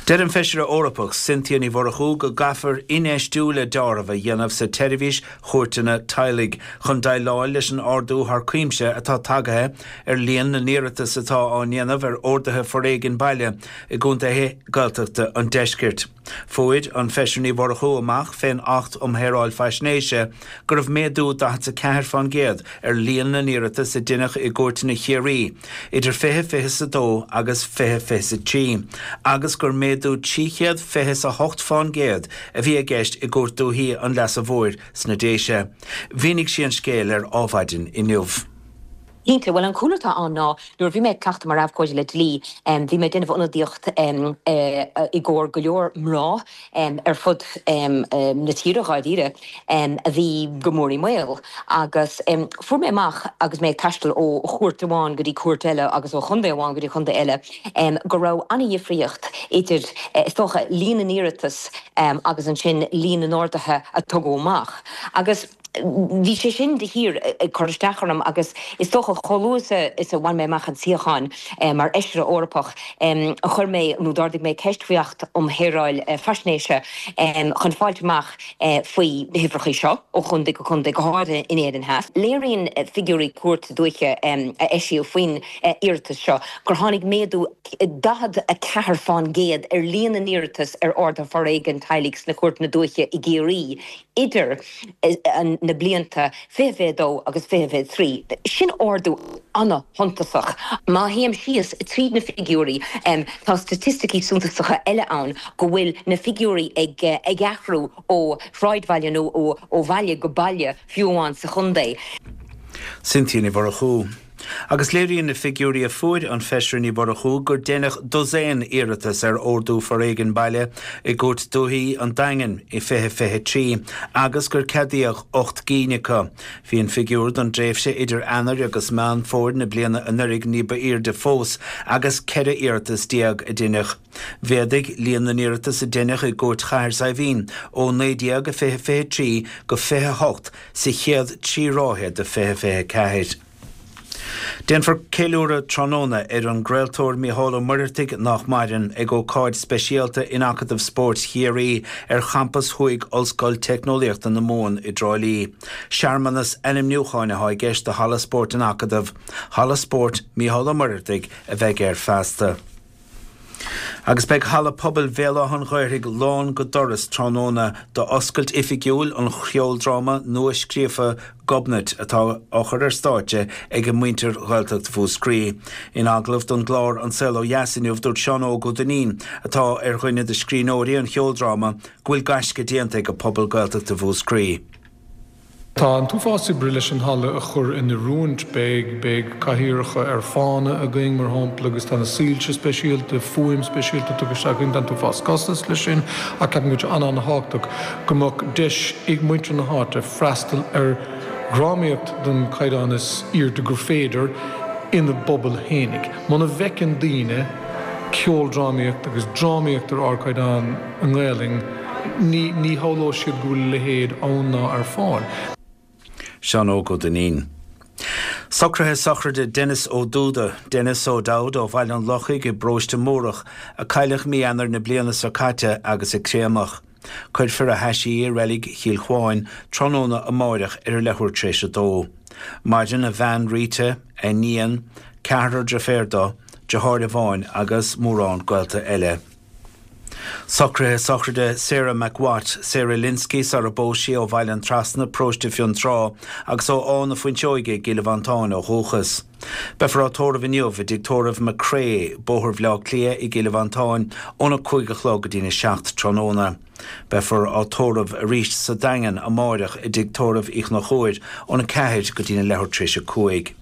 Deir an Feisire Eorpach Cynthia Ní Mhurchú go gcaithfear infheistiú le deáramh a dhéanamh sa tseirbhís chúirteanna teaghlaigh chun déileáil leis an ardú thar cuimse atá tagaithe ar líon na n-iarratas atá á ndéanamh ar orduithe foréigin baile i gcontaetha Gaeltachta an deiscirt. Fuair an Feisire Ní Mhurchú amach fén Acht um Shaoráil Faisnéise go raibh méadú 44% ar líon na n-iarratas a deineadh i gcúirteanna Chiarraí idir 2022 agus 2023 agus gur méadú 328% a bhí i gceist i gCúirt Dúichí an Leasa Mhóir sna Déise. Mhínigh sí an scéal ar Ádhmhaidin inniu. Cinnte. Bhuel, an cúlra atá ann ná nuair a bhí mé ag cleachtadh mar abhcóide le dlí, bhí mé ag déanamh ionadaíocht i gcomhair go leor mná ar fud na tíre, dháiríre, a bhí go mór i mbaol. Agus fuair mé amach agus mé ag taisteal ó chúirt amháin go dtí cúirt eile agus ó chontae amháin go dtí contae eile go raibh an-dhifríocht idir, is dócha, líon na n-iarratas agus ansin líon na n-orduithe a tugadh amach. Agus. Bhí sé sin de shíor ag cur isteach orm agus is dócha chomh luath is a bhain mé amach an suíochán mar Fheisire Eorpach chuir mé nó d'ardaigh mé ceist faoi Acht um Shaoráil Faisnéise chun fáilt amach faoi na huimhreacha seo ó chontae go contae, go háirithe in Éirinn Theas. Léiríonn figiúirí Cúirt Dúiche a eisíodh faoin iarratas seo gur tháinig méadú 44 fán gcéad ar líon na n-iarratas ar orduithe foréigin teaghlaigh sna cúirteanna dúiche i gCiarraí idir na blianta 2022 agus 2023. Sin ardú an-shuntasach. Má théim síos tríd na figiúirí, tá staitisticí suntasacha eile ann go bhfuil na figiúirí ag athrú ó shráidbhaile nó ó bhaile go baile, fiú amháin sa chontae. Cynthia Ní Mhurchú. Agus léiríonn na figiúirí a fuair an Feisire Ní Mhurchú gur deineadh dosaen iarratas ar ordú foréigin baile i gCúirt Dúichí an Daingin i 2023 agus gur ceadaíodh 8 gcinn acu. Bhí an figiúr don dtréimhse idir Eanáir agus Meán Fómhair na bliana anuraidh ní ba aoirde fós agus 14 iarratas a deineadh. Mhéadaigh líon na n-iarratas a deineadh i gCúirt Chathair Saidhbhín ó 19 i 2023 go 28 sa chéad 3 ráithe de 2024. Déanfar ceiliúradh tráthnóna ar an gcraoltóir Mícheál Ó Muircheartaigh, nach maireann, ag ócáid speisialta in Acadamh Spóirt Chiarraí ar champas thuaidh Ollscoil Teicneolaíochta na Mumhan i dTrá Lí. Searmanas ainmniúcháin atá i gceist do Halla Spóirt an Acadaimh, Halla Spóirt Mícheál Ó Muircheartaigh a bheidh air feasta. Agus beidh Halla Pobail Bhéal Átha an Ghaorthaidh lán go doras tráthnóna d'oscailt oifigiúil an cheoldráma nua-scríofa Gobnait atá á chur ar stáitse ag muintir Ghaeltacht Mhúscraí. In agallamh don gclár An Saol Ó Dheas inniu dúirt Seán Óg Ó Duinnín, atá ar dhuine de scríbhneoirí an cheoldráma, go bhfuil gaisce déanta ag pobal Gaeltachta Mhúscraí. Tá an t-uafás oibre leis an halla a chur in oiriúint. Beidh, beidh cathaoireacha ar fána againn, mar shampla, agus tá na soilse speisialta, fuaim speisialta tugtha isteach againn. Tá an t-uafás costas leis sin ach ceapaim go bhfuil sé an-an-thábhachtach go mbeadh deis ag muintir na háite freastal ar dhrámaíocht den chaighdeán is aoirde gur féidir ina bpobal fhéinig. Muna bhfeiceann daoine ceoldrámaíocht agus drámaíocht ar ardchaighdeán i nGaelainn, ní shamhlóidh siad go bhfuil a leithéid ann ná ar fáil. Seán Óg Ó Duinnín. Socruithe sochraide Denis Ó Dúda, Denis O'Dowd ó Bhaile an Lochaigh i bParóiste Múrach, a cailleadh mí Eanáir na bliana seo caite agus a créamadh. Cuirfear a thaisí i Reilig Chill Chuáin tráthnóna amáireach ar a leathuair tar éis a dó. Maireann a bhean Rita, a iníon, ceathrar deirféar dó, deartháir amháin agus mórán gaolta eile. Socruithe sochraide Sarah McWatt, Sarah Lynskey sara bpós sí ó Bhaile an Trasna, Paróiste Fionntrá, agus ó Áth na Fuinseoige i gCill Mhantáin ó dhúchas. Beifear á tórramh inniu i dTigh Tórraimh McCrea, Bóthar Bhaile Átha Cliath i gCill Mhantáin óna 5 a chlog go dtína 7 tráthnóna. Beifear á tórramh arís sa Daingean amáireach i dTigh Tórraimh Uí Chonchúir óna 4 go dtína leathuair tar éis a 5.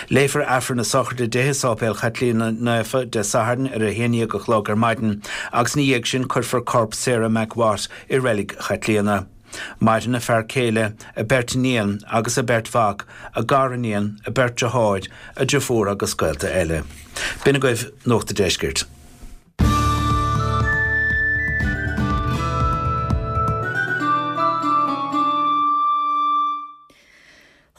Léifear Aifreann na sochraide di i Sáipéal Chaitlíona Naofa Dé Sathairn ar a haon dhéag a chlog ar maidin agus ina dhiaidh sin cuirfear corp Sarah McWatt i Reilig Chaitlíona. Maireann a fear céile, a beirt iníon agus a beirt mhac, a gariníon, a beirt deartháir, a deirfiúr agus gaolta eile. B'in agaibh Nuacht a' Deiscirt.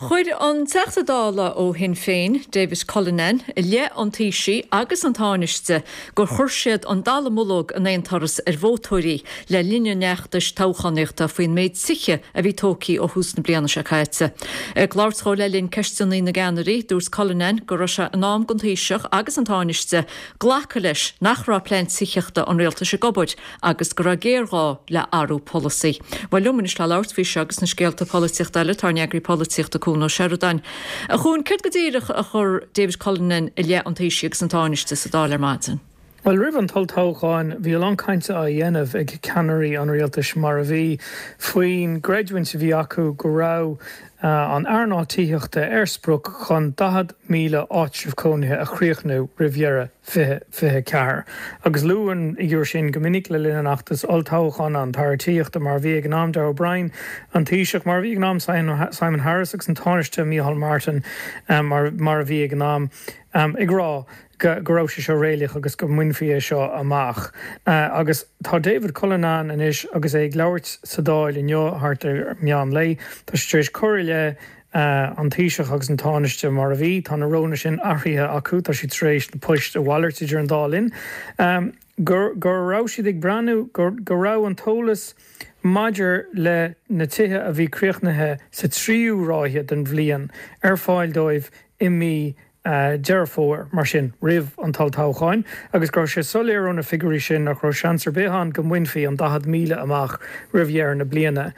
Chuir an Teachta Dála ó Shinn Féin, David Cullinane, i leith an Taoisigh agus an Tánaiste gur chuir siad an dallamullóg in aon turas ar vótóirí le linn an fheachtais toghchánaíochta faoin méid tithe a bhí tógtha ó thús na bliana seo caite. Ag labhairt dhó le linn Ceisteanna na gCeannairí, dúirt Cullinane go raibh sé in am don Taoiseach agus an Tánaiste glacadh leis nach raibh plean tithíochta an rialtais ag obair agus go raibh géarghá le athrú polasaí. Bhuel, liom anois le labhairt faoi seo agus na scéalta polaitíochta eile, tá ár n-eagraí polaitíochta Cuan Ó Seireadáin. A Chuain, céard go díreach a chuir David Cullinane i leith an Taoisigh agus an Tánaiste sa Dáil ar maidin? Bhuel, roimh an olltoghchán, bhí a lán cainte á dhéanamh ag ceannairí an rialtais, mar a bhí, faoin gcreidiúint a bhí acu go raibh an earnáil tithíochta ar sprioc chun 40,000 áitreabh cónaithe a chríochnú roimh dheireadh 2024. Agus luadh an fhigiúr sin go minic le linn an fheachtais olltoghcháin, an tAire Tithíochta mar a bhí ag an am, Darragh O'Brien, an Taoiseach mar a bhí ag an am, Simon Harris agus an Tánaiste Micheál Martin mar a bhí ag an am, ag rá go raibh sé seo réalaíoch agus go mbainfí é seo amach. Agus tá David Cullinane anois agus é ag labhairt sa Dáil inniu thart ar meán lae, tá sé tar éis cur i leith an Taoiseach agus an Tánaiste mar a bhí. Tá na rólanna sin athraithe acu, tá siad tar éis na poist a mhalairt idir an dá linn. Go raibh siad ag breathnú, go raibh an t-eolas maidir le na tithe a bhí críochnaithe sa tríú ráithe den bhliain ar fáil dóibh i mí Deireadh Fómhair, mar sin, roimh an olltoghchán, agus go raibh sé soiléir ó na figiúirí sin nach raibh seans ar bith ann go mbainfí an 40,000 amach roimh dheireadh na bliana,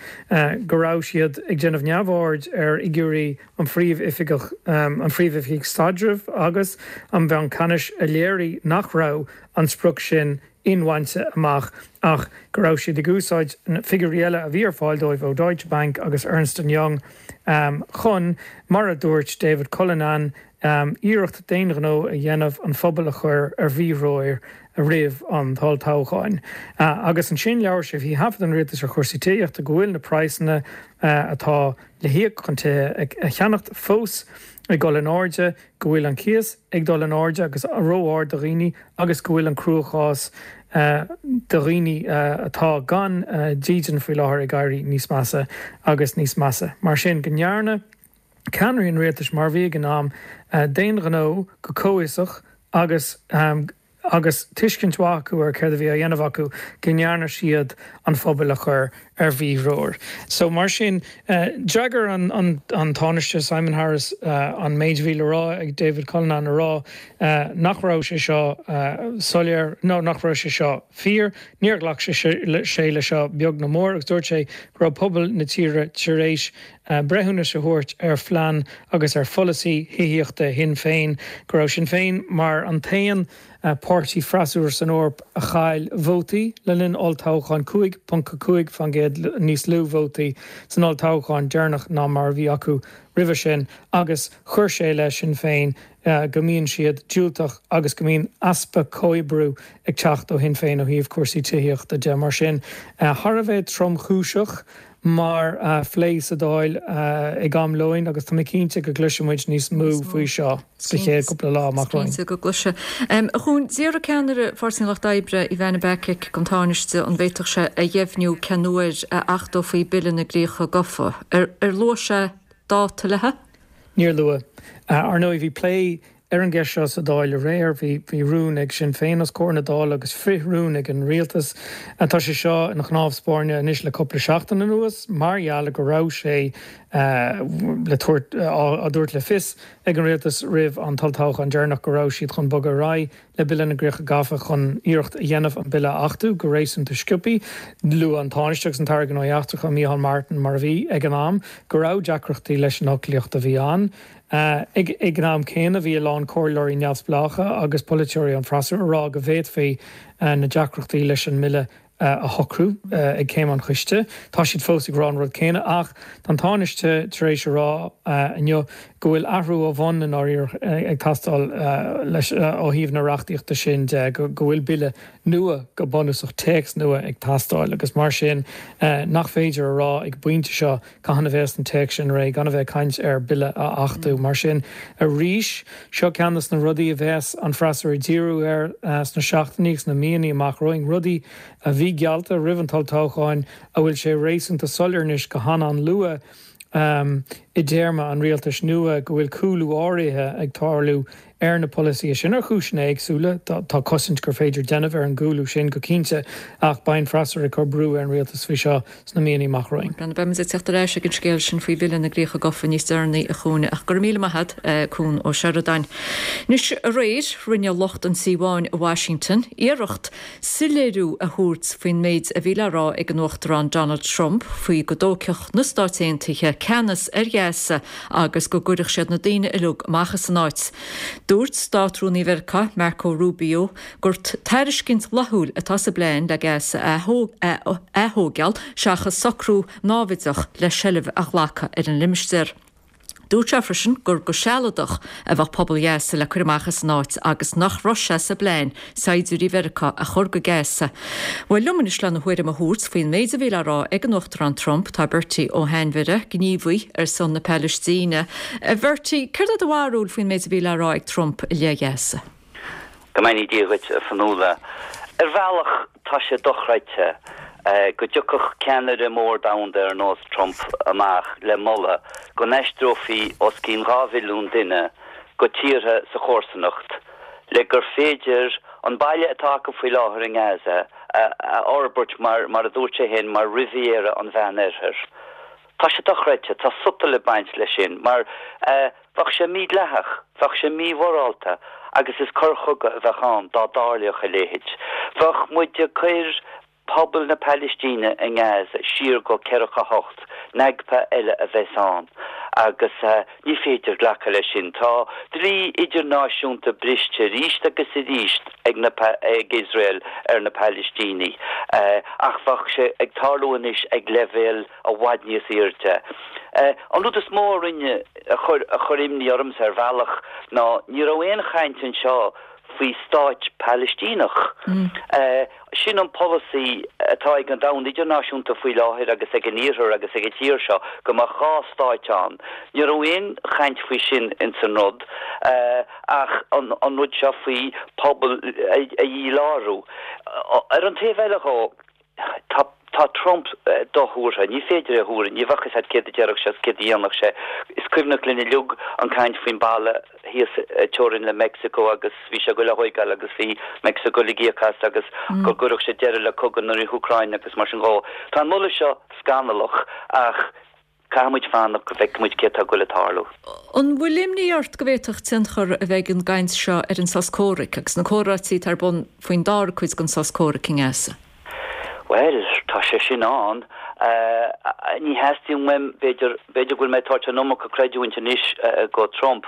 go raibh siad ag déanamh neamhaird ar fhigiúirí an Phríomh-Oifigeach, an Phríomh-Oifigigh Staidrimh agus an Bhanc Ceannais a léirigh nach raibh an sprioc sin inbhainte amach ach go raibh siad ag úsáid figiúirí eile a bhí ar fáil dóibh ó Deutsche Bank agus Ernst and Young chun, mar a dúirt David Cullinane, iarracht d'aon ghnó a dhéanamh an phobal a chur ar mhíthreoir roimh an olltoghchán. Agus ansin labhair sé faoi thaifead an rialtais ar chúrsaí tithíochta go bhfuil na praghsanna atá le híoc chun tithe a cheannacht fós ag dul in airde, go bhfuil an cíos ag dul in airde agus ró-ard do dhaoine agus go bhfuil an cruachás do dhaoine atá gan dídean faoi láthair ag éirí níos measa agus níos measa. Mar sin, go ndearna ceannairí an rialtais, mar a bhí ag an am, d'aon ghnó go comhfhiosach agus. agus tuiscint mhaith acu ar céard a bhí á dhéanamh acu, go ndearna siad an phobal a chur ar mhíthreoir. So, mar sin, d'fhreagair an Tánaiste Simon Harris an méid a bhí le rá ag David Cullinane a rá nach raibh sé seo soiléir, nó nach raibh sé seo fíor. Níor ghlac sé le seo beag ná mór agus dúirt sé go raibh pobal na tíre tar éis breithiúnas a thabhairt ar phlean agus ar pholasaí thithíochta Shinn Féin, go raibh Sinn Féin mar an t-aon páirtí freasúra san Eoraip a chaill vótaí le linn olltoghcháin, 5.5% níos lú vótaí san olltoghchán deireanach ná mar a bhí acu roimhe sin agus chuir sé le Sinn Féin go mbíonn siad diúltach agus go mbíonn easpa comhoibriú ag teacht ó Shinn Féin ó thaobh cúrsaí tithíochta de. Mar sin, thar a bheith tromchúiseach. mar phlé sa Dáil ag am lóin agus tá mé cinnte go gcloisfidh muid níos mó faoi seo sa chéad cúpla lá amach romhainn. Cinnte go gcloisfidh. A Chuain, d'iarr ceannaire Pháirtí an Lucht Oibre, Ivana Bacik, den Tánaiste an bhféadfadh sé a dheimhniú cén uair a achtófaí Bille na gCríocha Gafa. Ar luaigh sé. dáta léi? Níor luadh. Ar ndóigh, bhí plé ar an gceist seo sa Dáil aréir. Bhí rún ag Sinn Féin os comhair na Dála agus frith-rún ag an Rialtas. Tá sé seo ina chnámh spairne anois le cúpla seachtain anuas mar gheall go raibh sé le tabhairt, á dtabhairt le fios ag an Rialtas roimh an t-olltoghchán deireanach go raibh siad chun bogadh ar aghaidh le Bille na gCríocha Gafa chun iarracht a dhéanamh an bille a achtú go réasúnta sciobtha. Luaigh an Tánaiste agus an tAire Gnóthaí Eachtracha, Micheál Martin mar a bhí ag an am, go raibh deacrachtaí leis an fhoclaíocht a bhí ann. Ag an am céanna bhí a lán comhairleoirí neamhspleácha agus polaiteoirí ón bhfreasúra ag rá go bhféadfaí na deacrachtaí leis an mbille a shocrú ag céim an choiste. Tá siad fós ag rá an rud céanna ach tá an Tánaiste tar éis a rá inniu go bhfuil athrú ó bhun i ndáiríre ag teastáil leis ó thaobh na reachtaíochta sin de, go bhfuil bille nua, go bunúsach téacs nua ag teastáil agus mar sin nach féidir a rá ag an bpointe seo Cathain a bheas an téacs sin réidh, gan a bheith ag caint ar bille a achtú. Mar sin, arís, seo ceann de na rudaí a bheas an freasúra ag díriú air sna seachtainí agus na míonna amach romhainn, rudaí a bhí geallta roimh an olltoghchán a bhfuil sé réasúnta soiléir anois go han-an-luath i dtéarma an rialtais nua go bhfuil cúlú áirithe ag tarlú ar na polasaithe sin ar chúiseanna éagsúla. Tá cosaint gur féidir déanamh ar an gcúlú sin go cinnte ach beidh an freasúra ag cur brú ar an rialtas faoi seo sna míonna amach romhainn. Beidh muid ag teacht ar ais ag an scéal sin faoi Bhille na gCríocha Gafa níos deireanaí, a Chúin, ach go raibh míle maith agat, Cún Ó Seireadáin. Anois, aréir, rinne lucht an Tí Bháin i Washington iarracht soiléiriú a thabhairt faoin méid a bhí le rá ag an Uachtarán Donald Trump faoi go dtógfadh na Stáit Aontaithe ceannas ar Ghaza agus go gcuirfeadh siad na daoine uilig amach as an áit. Dúirt Státrúnaí Mheiriceá, Marco Rubio, gur tairiscint fhlaithiúil atá sa bplean le Gaza a aththóigeáil seachas socrú náimhdeach le seilbh a ghlacadh ar an limistéar. Dúirt sé freisin gur go sealadach a bheadh pobal Ghaza le cur amach as an áit agus nach raibh sé sa bplean saighdiúirí Mheiriceá a chur go Gaza. Bhuel, liom anois lena thuairim a thabhairt faoin méid a bhí le rá ag an Uachtarán Trump tá Bertie Ó hAinmhire, gníomhaí ar son na Palaistíne. A Bhertie, céard é do bharúil faoin méid a bhí le rá ag Trump i leith Ghaza? Go mbeannaí Dia dhuit, a Fionnuala. Ar bhealach, tá sé dochreidte go dtiocfadh ceannaire mór domhanda ar nós Trump amach le moladh go n-aistreofaí os cionn 2 mhilliún duine go tíortha sa chomharsanacht le gur féidir an baile atá acu faoi láthair i nGaza a fhorbairt mar, mar a dúirt sé féin, mar Riviera an Mheánoirthir. Tá sé dochreidte, tá sotal ag baint leis sin mar bheadh sé mídhleathach, bheadh sé mímhorálta agus is coir chogaidh a bheadh ann dá dtarlódh a leithéid. Bheadh muid ag cur pobal na Palaistíne i nGaza siar go 48, Nakba eile a bheas ann agus ní féidir glacadh leis sin. Tá dlí idirnáisiúnta briste arís agus arís ag na ag Iosrael ar na Palaistínigh ach bheadh sé ag tarlú anois ag leibhéal i bhfad níos airde. An rud is mó a rinne, a chuir, a chuir imní ormsa ar bhealach ná ní raibh aon chaint anseo faoi stáit Palaistíneach. Sin an polasaí atá ag an domhan idirnáisiúnta faoi láthair agus ag an Iarthar agus ag an tír seo, go mbeadh dhá stáit ann. Ní raibh aon chaint faoi sin ins an rud ach an rud seo faoi pobal a dhílárú. Ar an taobh eile dhó, Tá tá Trump dothuartha. Ní féidir é a thuar. Ní bheadh fhios agat céard a déarfadh sé is céard a dhéanfadh sé. Is cuimhneach linn uilig an caint faoin balla thíos ag teorainn le Meicsiceo agus bhí sé ag goil á thóigeáil agus bhí Meicsiceo ag goil ag íoc as agus go gcuirfeadh sé deireadh le cogadh na hÚcráine agus mar sin dhó. Tá an moladh seo scannalach ach Caithfidh muid fanacht go bhfeicfidh muid céard atá ag goil ag tarlú. An bhfuil imní ort go bhféadfadh tionchar a bheith ag an gcaint seo ar an sos comhraic agus na comhráití atá ar bun faoin dara cuid den sos comhraic i nGaza? Bhuel, tá sé sin ann. Ní theastaíonn uaim, b'fhéidir, b'fhéidir go bhfuil mé ag tabhairt an iomarca creidiúint anois go Trump.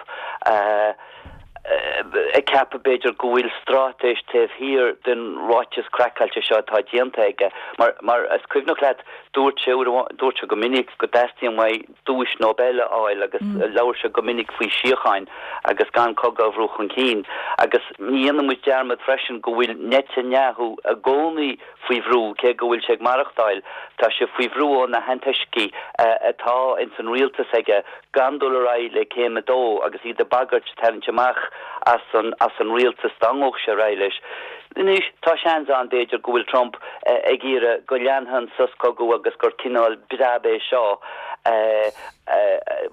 ag ceapadh b'fhéidir go bhfuil straitéis taobh thiar den ráiteas craiceáilte seo atá déanta aige. Mar, mar is cuimhneach leat, dúirt sé uair amháin, dúirt sé go minic go dteastaíonn uaidh duais Nobel a fháil agus labhair sé go minic faoi síocháin agus gan cogadh a bhrú chun cinn. Agus ní dhéanfaidh muid dearmad freisin go bhfuil Netanyahu i gcónaí faoi bhrú, cé go bhfuil sé ag maireachtáil, tá sé faoi bhrú ó na hantoiscigh atá ins an rialtas aige gan dul ar aghaidh le céim a dó agus iad ag bagairt tarraingt amach as an as an rialtas dá ngabhfadh sé ar aghaidh leis. Anois, tá seans ann, b'fhéidir, go bhfuil Trump ag iarraidh go leanfaidh an sos cogaidh agus gur cineál breab é seo.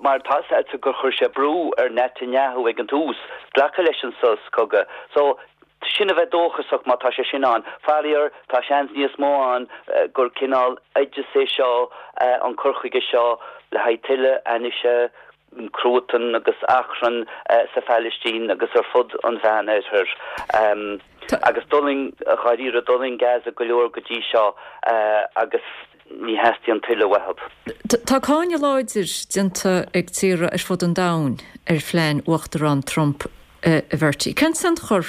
Mar tá 's agat gur chuir sé brú ar Netanyahu ag an tús glacadh leis an sos cogaidh. So, sin a bheith dóchasach má tá sé sin ann. Faraor, tá seans níos mó ann gur cineál oideas é seo, an cur chuige seo le haghaidh tuilleadh ainnise, cruatan agus achrann sa Phalaistín agus ar fud an Mheánoirthir. Agus d'fhulaing, dháiríre, d'fhulaing Gaza go leor go dtí seo agus ní theastaíonn tuilleadh uathu. Tá cáineadh láidir déanta ag tíortha ar fud an domhain ar phlean Uachtarán Trump, a Bhertie. Cén tionchar,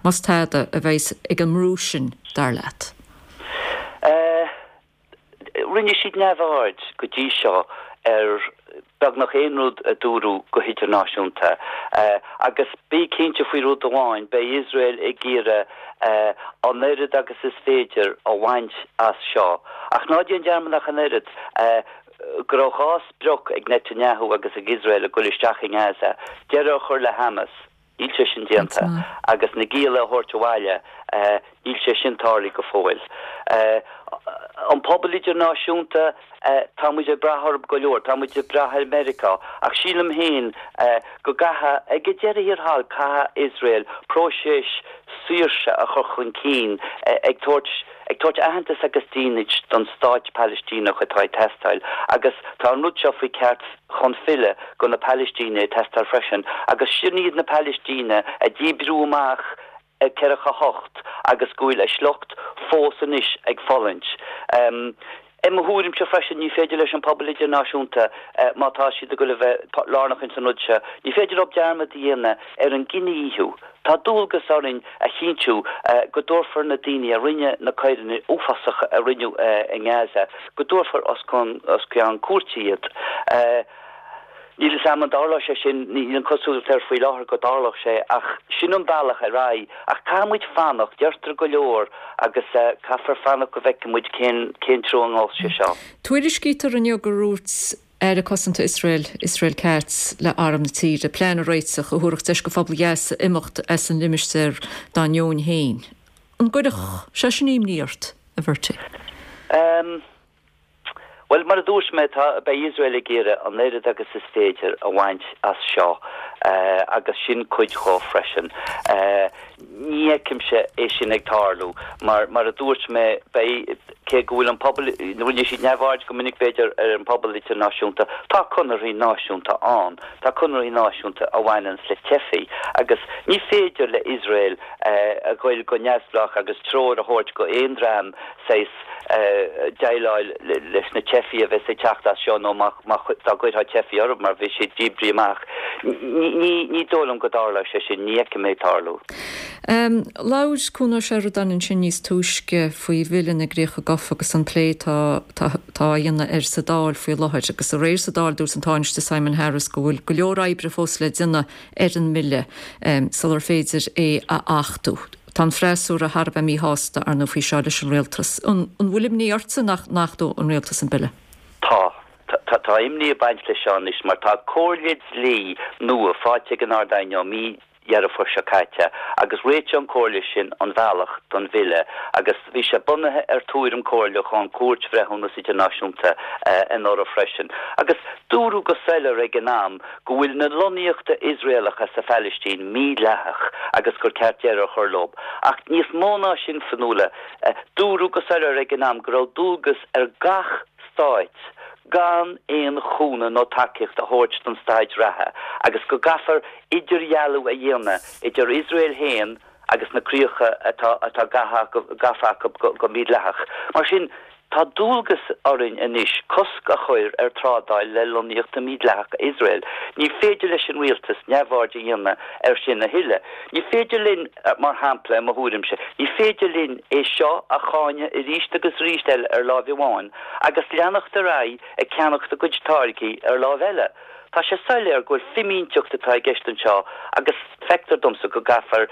más tada, a bheas ag an mbrú sin, dar leat? Rinne siad neamhaird go dtí seo ar beagnach aon rud a dúradh go hidirnáisiúnta. Agus bí cinnte faoi rud amháin, beidh Iosrael ag iarraidh an oiread agus is féidir a bhaint as seo. Ach ná déan dearmad ach an oiread, go raibh 2 sprioc ag Netanyahu agus ag Iosrael ag dul isteach i nGaza, deireadh a chur le Hamas, Níl sé sin déanta. Agus na gialla a thabhairt abhaile, níl sé sin tarlaithe go fóill. An pobal idirnáisiúnta, tá muid ag brath orthu go leor, tá muid ag brath ar Mheiriceá, ach sílim féin go gcaithfidh, ag an deireadh thiar thall, caithfidh Iosrael próiseas saoirse a chur chun cinn ag tabhairt, ag tabhairt aitheantas agus dínit don stáit Palaistíneach atá ag teastáil agus tá an rud seo faoi ceart chun filleadh go na Palaistínigh ag teastáil freisin agus sin iad na Palaistínigh a díbríodh amach i 48 agus go bhfuil a sliocht fós anois ag fulaingt. I mo thuairimse freisin ní féidir leis an pobal idirnáisiúnta má tá siad ag dul a bheith lárnach ins an rud seo, ní féidir leo dearmad a dhéanamh ar an gcinedhíothú. Tá dualgas orainn a chinntiú go dtabharfar na daoine a rinne na coireanna uafásacha a rinneadh i nGaza, go dtabharfar os cionn cúirte iad. Níl 'fhios a'm an dtarlóidh sé sin, níl an cosúlacht air faoi láthair go dtarlódh sé, ach sin an bealach ar aghaidh. Ach caithfidh muid fanacht, deirtear go leor agus caithfear fanacht go bhfeicfidh muid cén cén treo a ngabhfas sé seo. Tuairiscítear inniu gur dhúirt Aire Cosanta Iosrael, Israel Katz, le arm na tíre, plean a réiteach a thabharfadh deis go phobal Ghaza imeacht as an limistéar dá ndeoin féin. An gcuirfeadh sé sin imní ort, a Bhertie? Bhuel, mar a dúirt mé, tá, beidh Iosrael ag iarraidh an oiread agus is féidir a bhaint as seo agus sin cuid dhó freisin. Ní fheicimse é sin ag tarlú mar, mar a dúirt mé, beidh, cé go bhfuil an pobal, rinne siad neamhaird go minic b'fhéidir ar an bpobal idirnáisiúnta, tá conarthaí náisiúnta ann, tá conarthaí náisiúnta a bhaineanns le teifigh agus ní féidir le Iosrael a ghoil go neamhspleách agus treoir a thabhairt go aon dream saghas déileáil leis na teifigh a bheas ag teacht as seo nó má dá gcuirfeá teifigh orthu mar bhí siad díbrithe amach. Ní dóigh liom go dtarlóidh sé sin, ní fheicim é ag tarlú. Labhair Cuan Ó Seireadáin ansin níos túisce faoi Bhille na gCríocha Gafa agus an plé atá á dhéanamh air sa Dáil faoi láthair. Agus aréir sa Dáil dúirt an Tánaiste Simon Harris go bhfuil go leor oibre fós le déanamh ar an mbille sular féidir é a achtú. Tá an freasúra thar a bheith míshásta, ar ndóigh, faoi seo leis an rialtas. An bhfuil imní ortsa nach n-achtódh an rialtas an bille? Tá. Tá imní ag baint leis seo anois mar tá comhairle dlí nua faighte ag an Ard-Aighne ó mí Dheireadh Fómhair seo caite agus réitigh an comhairle sin an bhealach don bhille agus bhí sé bunaithe ar tuairim comhairleach ón Chúirt Bhreithiúnas Idirnáisiúnta anuraidh freisin agus dúradh go soiléir ag an am go bhfuil na lonnaíochta Iosraelacha sa Phalaistín mídhleathach agus gur ceart deireadh a chur leo. Ach níos mó ná sin, Fionnuala, dúradh go soiléir ag an am go raibh dualgas ar gach stáit gan aon chúnamh nó tacaíocht a thabhairt don staid reatha agus go gcaithfear idirdhealú a dhéanamh idir Iosrael féin agus na críocha atá atá gafa acu go mídhleathach. Mar sin, tá dualgas orainn anois cosc a chur ar trádáil le lonnaíochta mídhleathacha Iosrael. Ní féidir leis an rialtas neamhaird a dhéanamh air sin a thuilleadh. Ní féidir linn, mar shampla, i mo thuairimse, ní féidir linn é seo a cháineadh arís agus arís eile ar láimh amháin agus leanacht ar aghaidh ag ceannacht a gcuid táirgí ar láimh eile. Tá sé soiléir go bhfuil fimínteacht atá i gceist anseo agus feictear domsa go gcaithfear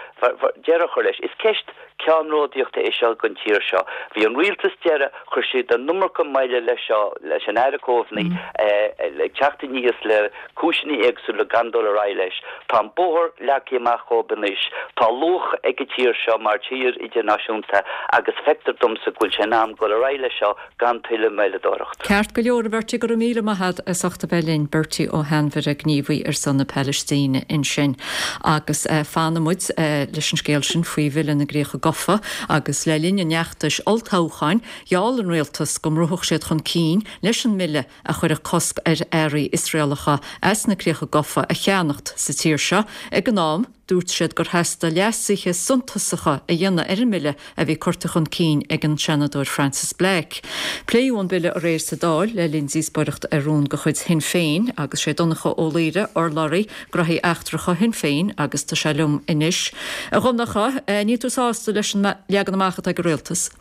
deireadh a chur leis. Is ceist ceannródaíochta é seo don tír seo. Bhí an rialtas deiridh, chuir siad an iomarca moille leis seo, leis an Aire Coveney ag teacht aníos le cúiseanna éagsúla gan dul ar aghaidh leis. Tá an bóthar leagtha amach dhóibh anois. Tá luach ag an tír seo mar tír idirnáisiúnta agus feictear domsa go bhfuil sé in am dul ar aghaidh leis seo gan tuilleadh moilleadóireacht. Ceart go leor, a Bhertie, go raibh míle maith agat as ucht a bheith linn. Bertie Ó hAinmhire, gníomhaí ar son na Palaistíne ansin. Agus fanfaidh muid leis an scéal sin faoi Bhille na gCríocha Gafa agus le linn an fheachtais olltoghcháin, gheall an rialtas go mbrúfadh siad chun cinn leis an mbille a chuirfeadh cosc ar earraí Iosraelacha as na Críocha Gafa a cheannacht sa tír seo. Ag an am, dúirt siad gur theastaigh leasuithe suntasacha a dhéanamh ar an mbille a bhí curtha chun cinn ag an Seanadóir Frances Black. Pléadh an bille aréir sa Dáil le linn díospóireacht ar rún de chuid Shinn Féin agus sé Donncha Ó Laoghaire urlabhraí Gnóthaí Eachtracha Shinn Féin agus tá sé liom anois. A Dhonncha, níl tú sásta leis an leagan amach atá ag an Rialtas?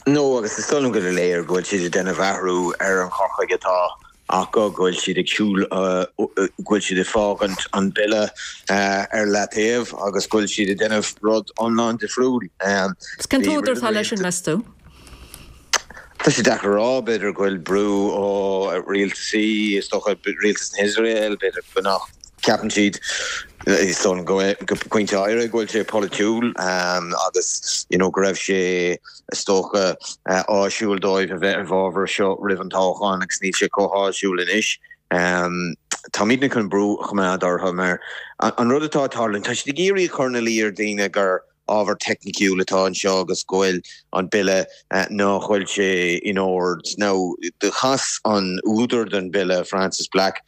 No, agus is dóigh liom gur léir go bhfuil siad ag déanamh athrú ar an chur chuige atá acu, go bhfuil siad ag siúl, go bhfuil siad ag fágaint an bille ar leataobh agus go bhfuil siad ag déanamh rud iomlán difriúil. Cén t-údar atá leis sin, meas tú? Tá sé deacair a rá, b'fhéidir go bhfuil brú ó rialtasaí, is dócha rialtas na hIosrael, b'fhéidir go nach. Ceapann siad, is dóigh liom, go pointe áirithe go bhfuil sé polaitiúil agus you know go raibh sé is dócha áisiúil dóibh a bheith i bhfabhar seo roimh an toghchán agus níl sé chomh háisiúil anois. Táimidne chun brú a choimeád orthu mar an rud atá ag tarlú, tá siad ag iarraidh a chur ina luí ar dhaoine gur ábhar teicniciúil atá anseo agus go bhfuil an bille nach bhfuil sé in ord. Now do chas an údar den bille, Frances Black,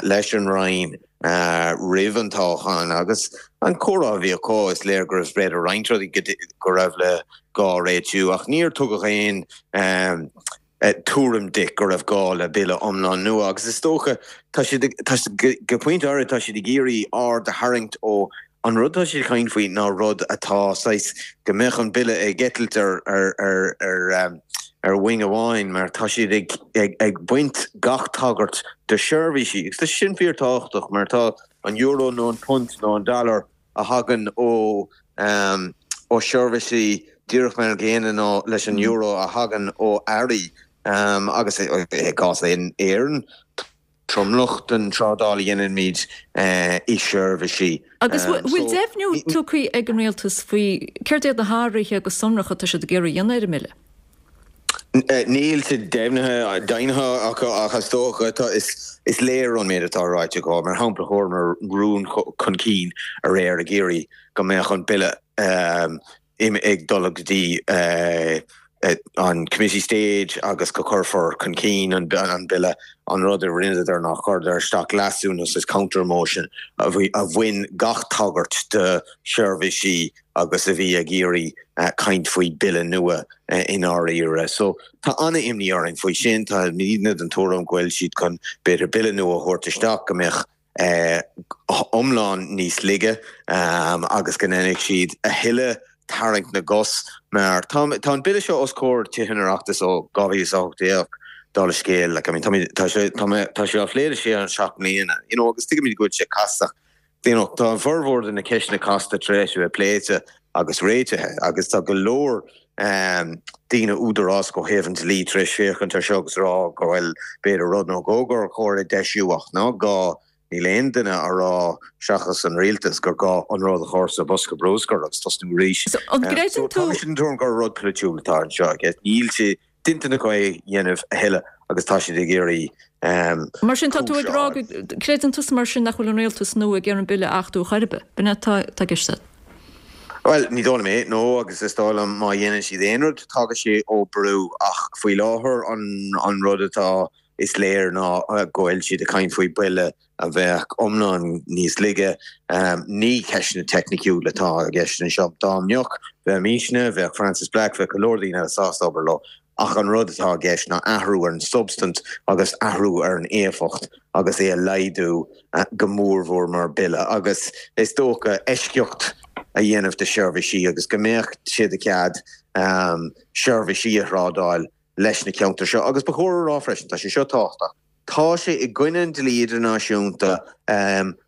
leis an Roinn roimh an toghchán agus an comhrá a bhí acu, is léir go raibh b'fhéidir roinnt rudaí go raibh le gá réitiú ach níor tugadh aon tuairim di go raibh gá le bille iomlán nua agus is dócha tá siad tá go pointe áirithe tá siad ag iarraidh aird a tharraingt ó an rud atá siad ag caint faoi ná rud atá saghas go mbeadh an bille ag eitilt ar ar ar ar ar wing amháin mar tá siad ag ag ag baint gach tagairt do sheirbhísí agus tá sin fíor tábhachtach mar tá an euro nó an punt nó an dollar a thagann ó ó sheirbhísí díreach mar an gcéanna nó leis an euro a thagann ó earraí agus i gcás Éireann, tromlach den trádáil a dhéanaimid i seirbhísí. Agus bhfuil deimhniú tugtha ag an Rialtas faoi céard iad na hathruithe go sonrach atá siad ag iarraidh a dhéanamh ar an mBille? Níl sé deimhnithe deimhnithe acu ach is dócha tá is léir ón méid atá ráite acu. Mar shampla chuireamar rún chun cinn aréir ag iarraidh go mbeadh an bille ag dul go dtí an committee stage agus go cuirfear chun cinn an bille. An rud a rinneadar ná chuireadar isteach leasú nó saghas counter motion a bhain gach tagairt do sheirbhísí agus a bhí ag iarraidh caint faoi bille nua i ndáiríre. So tá an-imní orainn faoi sin. Táimidne den tuairim go bhfuil siad chun b'fhéidir bille nua a thabhairt isteach go mbeadh iomlán níos laige agus go ndéanfaidh siad a thuilleadh tarraingt na gcos mar tá an bille seo os comhair Tithe an Oireachtais ó 2018 dála scéil. Like I mean tá sé tá sé á phlé le sé nó 7 mbliana you know agus tuigimid go bhfuil sé casta You know, tá an formhór de na ceisteanna casta tar éis a bheith pléite agus réitithe agus tá go leor daoine údarásach ó thaobh an dlí tar éis féachaint ar seo agus rá go bhfuil b'fhéidir rud nó dhó gur chóir a deisiú ach ná gá, níl aon duine á rá seachas an rialtas gur gá an rud a chur sa bhosca bruscair agus tosnú arís. So an gcreideann tú. Tá mise den tuairim gur rud polaitiúil atá anseo agus níl sé d'intinn acu é a dhéanamh a thuilleadh agus tá siad ag iarraidh Mar sin, tá tú ag rá go gcreideann tusa mar sin nach bhfuil an rialtas nua ag iarraidh an bille a achtú chor ar bith? B'in é atá i gceist agat? Bhuel, ní dóigh liom é, no, agus is dóigh liom má dhéanann siad aon rud, tagann sé ó brú ach faoi láthair an rud atá is léir ná go bhfuil siad ag caint faoi bille a bheadh iomlán níos laige. Ní ceisteanna teicniciúla atá i gceist anseo. Dá mbeadh, bheimisne, bheadh Frances Black, bheadh go leor daoine eile sásta obair leo. Ach an rud atá i gceist ná athrú ar an substaint agus athrú ar an éifeacht agus é a laghdú go mórmhór mar bille agus is dócha eisceacht a dhéanamh de sheirbhísí agus go mbeadh sé de chead seirbhísí a thrádáil leis na ceantair seo. Agus ba chóir a rá freisin, tá sé seo tábhachtach. Tá sé i gcoinne an dlí idirnáisiúnta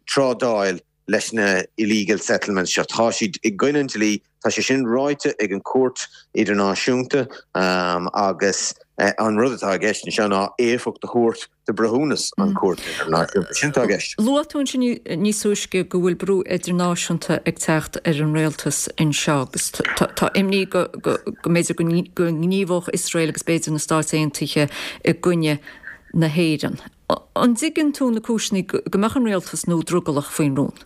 trádáil leis na illegal settlements seo. Tá siad i gcoinne an dlí, tá sé sin ráite ag an Chúirt Idirnáisiúnta agus an rud atá i gceist anseo ná éifeacht a thabhairt do breithiúnas an Chúirt Idirnáisiúnta. Sin atá i gceist. Luaigh tú ansin níos túisce go bhfuil brú idirnáisiúnta ag teacht ar an rialtas anseo agus tá imní go mb'fhéidir go ngníomhódh Iosrael agus b'fhéidir na Stáit Aontaithe i gcoinne na hÉireann. An dtuigeann tú na cúiseanna go mbeadh an rialtas nua drogallach faoin rún?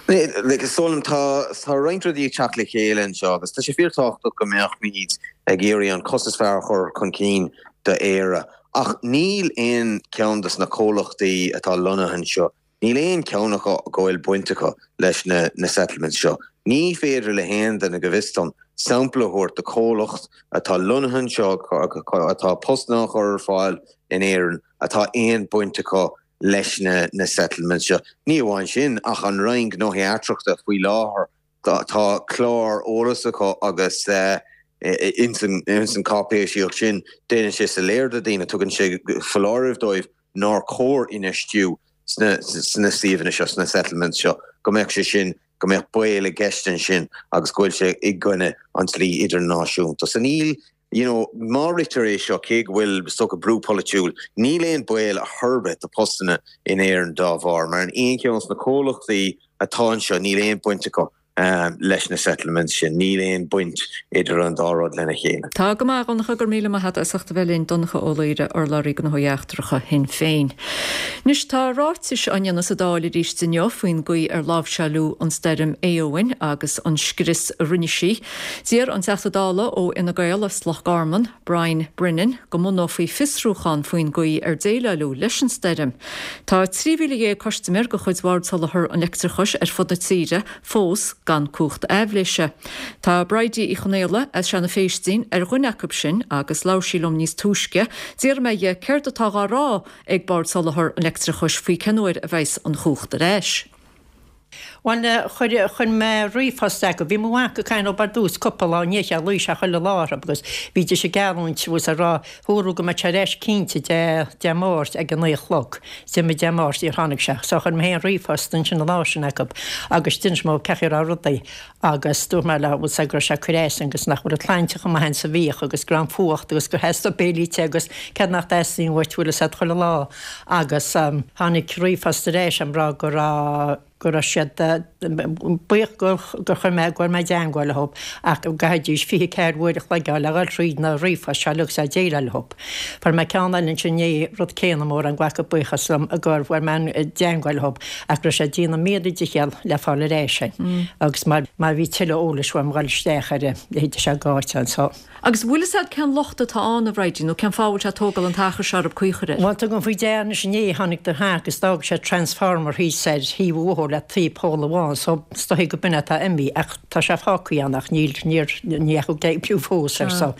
Like, is dóigh liom, tá, tá roinnt rudaí ag teacht le chéile anseo agus tá sé fíorthábhachtach go mbeadh muid ag iarraidh an cás is fearr a chur chun cinn do Éire. Ach níl aon cheann dos na comhlachtaí atá lonnaithe anseo, níl aon cheann acu go bhfuil baint acu leis na na settlements seo. Ní féidir le haon duine, go bhfios dom, sampla a thabhairt de chomhlacht atá lonnaithe anseo, atá postanna á chur ar fáil in Éirinn, atá aon baint acu leis na na settlements seo. Ní amháin sin, ach an Roinn Gnóthaí Eachtracha faoi láthair, tá clár eolais acu agus ins an cáipéisíocht sin déanann sé soiléir do daoine, tugann sé foláireamh dóibh nár chóir infheistiú sna sna suíomhanna seo, sna settlements seo, go mbeadh sé sin, go mbeadh baol i gceist ansin agus go bhfuil sé i gcoinne an dlí idirnáisiúnta. So níl, you know, má ritear é seo, cé go bhfuil, is dócha, brú polaitiúil, níl aon baol ar chor ar bith do postanna in Éirinn dá bharr, mar in aon cheann de na comhlachtaí atá anseo, níl aon baint acu leis na settlements sin, níl aon baint idir an dá rud lena chéile. Tá go maith, a Dhonncha, go raibh míle maith agat as ucht a bheith linn, Donncha Ó Laoghaire, urlabhraí Gnóthaí Eachtracha Shinn Féin. Anois tá ráitis á ndéanamh sa Dáil arís inniu faoin gcaoi ar láimhseáileadh an stoirm Éowyn agus an scrios a rinne sí. D'iarr an Teachta Dála ó Fhine Gael as Loch Garman, Brian Brennan, go mbunófaí fiosrúchán faoin gcaoi ar déileáileadh leis an stoirm. Tá 13,000 custaiméir de chuid Bhord Soláthair an Leictreachais ar fud na tíre fós gan cumhacht aibhléise. Tá Bridie Uí Chonaola as Seanadh Phéistín ar dhuine acu sin agus labhair sí liom níos túisce. D'iarr mé dhi céard atá dhá rá ag Bord Soláthair an Leictreachais faoi cén uair a bheas an chumhacht ar ais. Bhuel, chuir, chuir mé ríomhphost acu. Bhí mo mhac ag caint leob ar dtús cúpla lá inné, sé luigh sé chuile lá orthu agus bhídís ag geallúint, bhfuil 's ag rá, dúradh go mbeadh sé ar ais cinnte Dé, Dé Máirt ag a naoi a chlog. D'imigh Dé Máirt, níor tháinig sé. So chuir mé féin ríomhphost ansin an lá sin acu agus d'inis mé cén chaoi a raibh rudaí agus dúirt mé leo, bhfuil 's ag go raibh sé ag cur as agus nach bhfuil an tsláinte chomh maith is a bhíodh agus go raibh an fuacht agus gur theastaigh béilí te agus céard nach dteastaíonn uait, bhfuil 'fhios a'd chuile lá. Agus tháinig ríomhphost ar ais ag rá go raibh, go raibh siad buíoch gur chuir mé, go bhfuil mé i dteangmháil leo ach go gcaithfidís 24 uair a chloig a fháil le dhul thríd na ríomhphoist seo uilig agus a déileáil leo. Fuair mé ceann eile ansin inné, rud céanna, mórán glacadh buíochas liom go bhfuil mé i dteangmháil leo ach go raibh sé ag déanamh míle dicheall le fáil ar ais é agus má bhí tuilleadh eolais uaim dhul isteach ar a leithéid seo gáite anso. Agus bhfuil fhios a'd cén locht atá ann, a Bhridie, nó cén fáth a bhfuil sé ag tógáil an t-achar seo arb caoi a chur air? Bhuel, tugaim faoi deara anois inné tháinig do theach agus d'fhág sé transformer thíos ar thaobh an bhóthair le taobh poll amháin so is dóigh go b'in atá imithe ach tá sé fágtha ann ach níl, níor, ní dheachaigh ag oibriú fós air so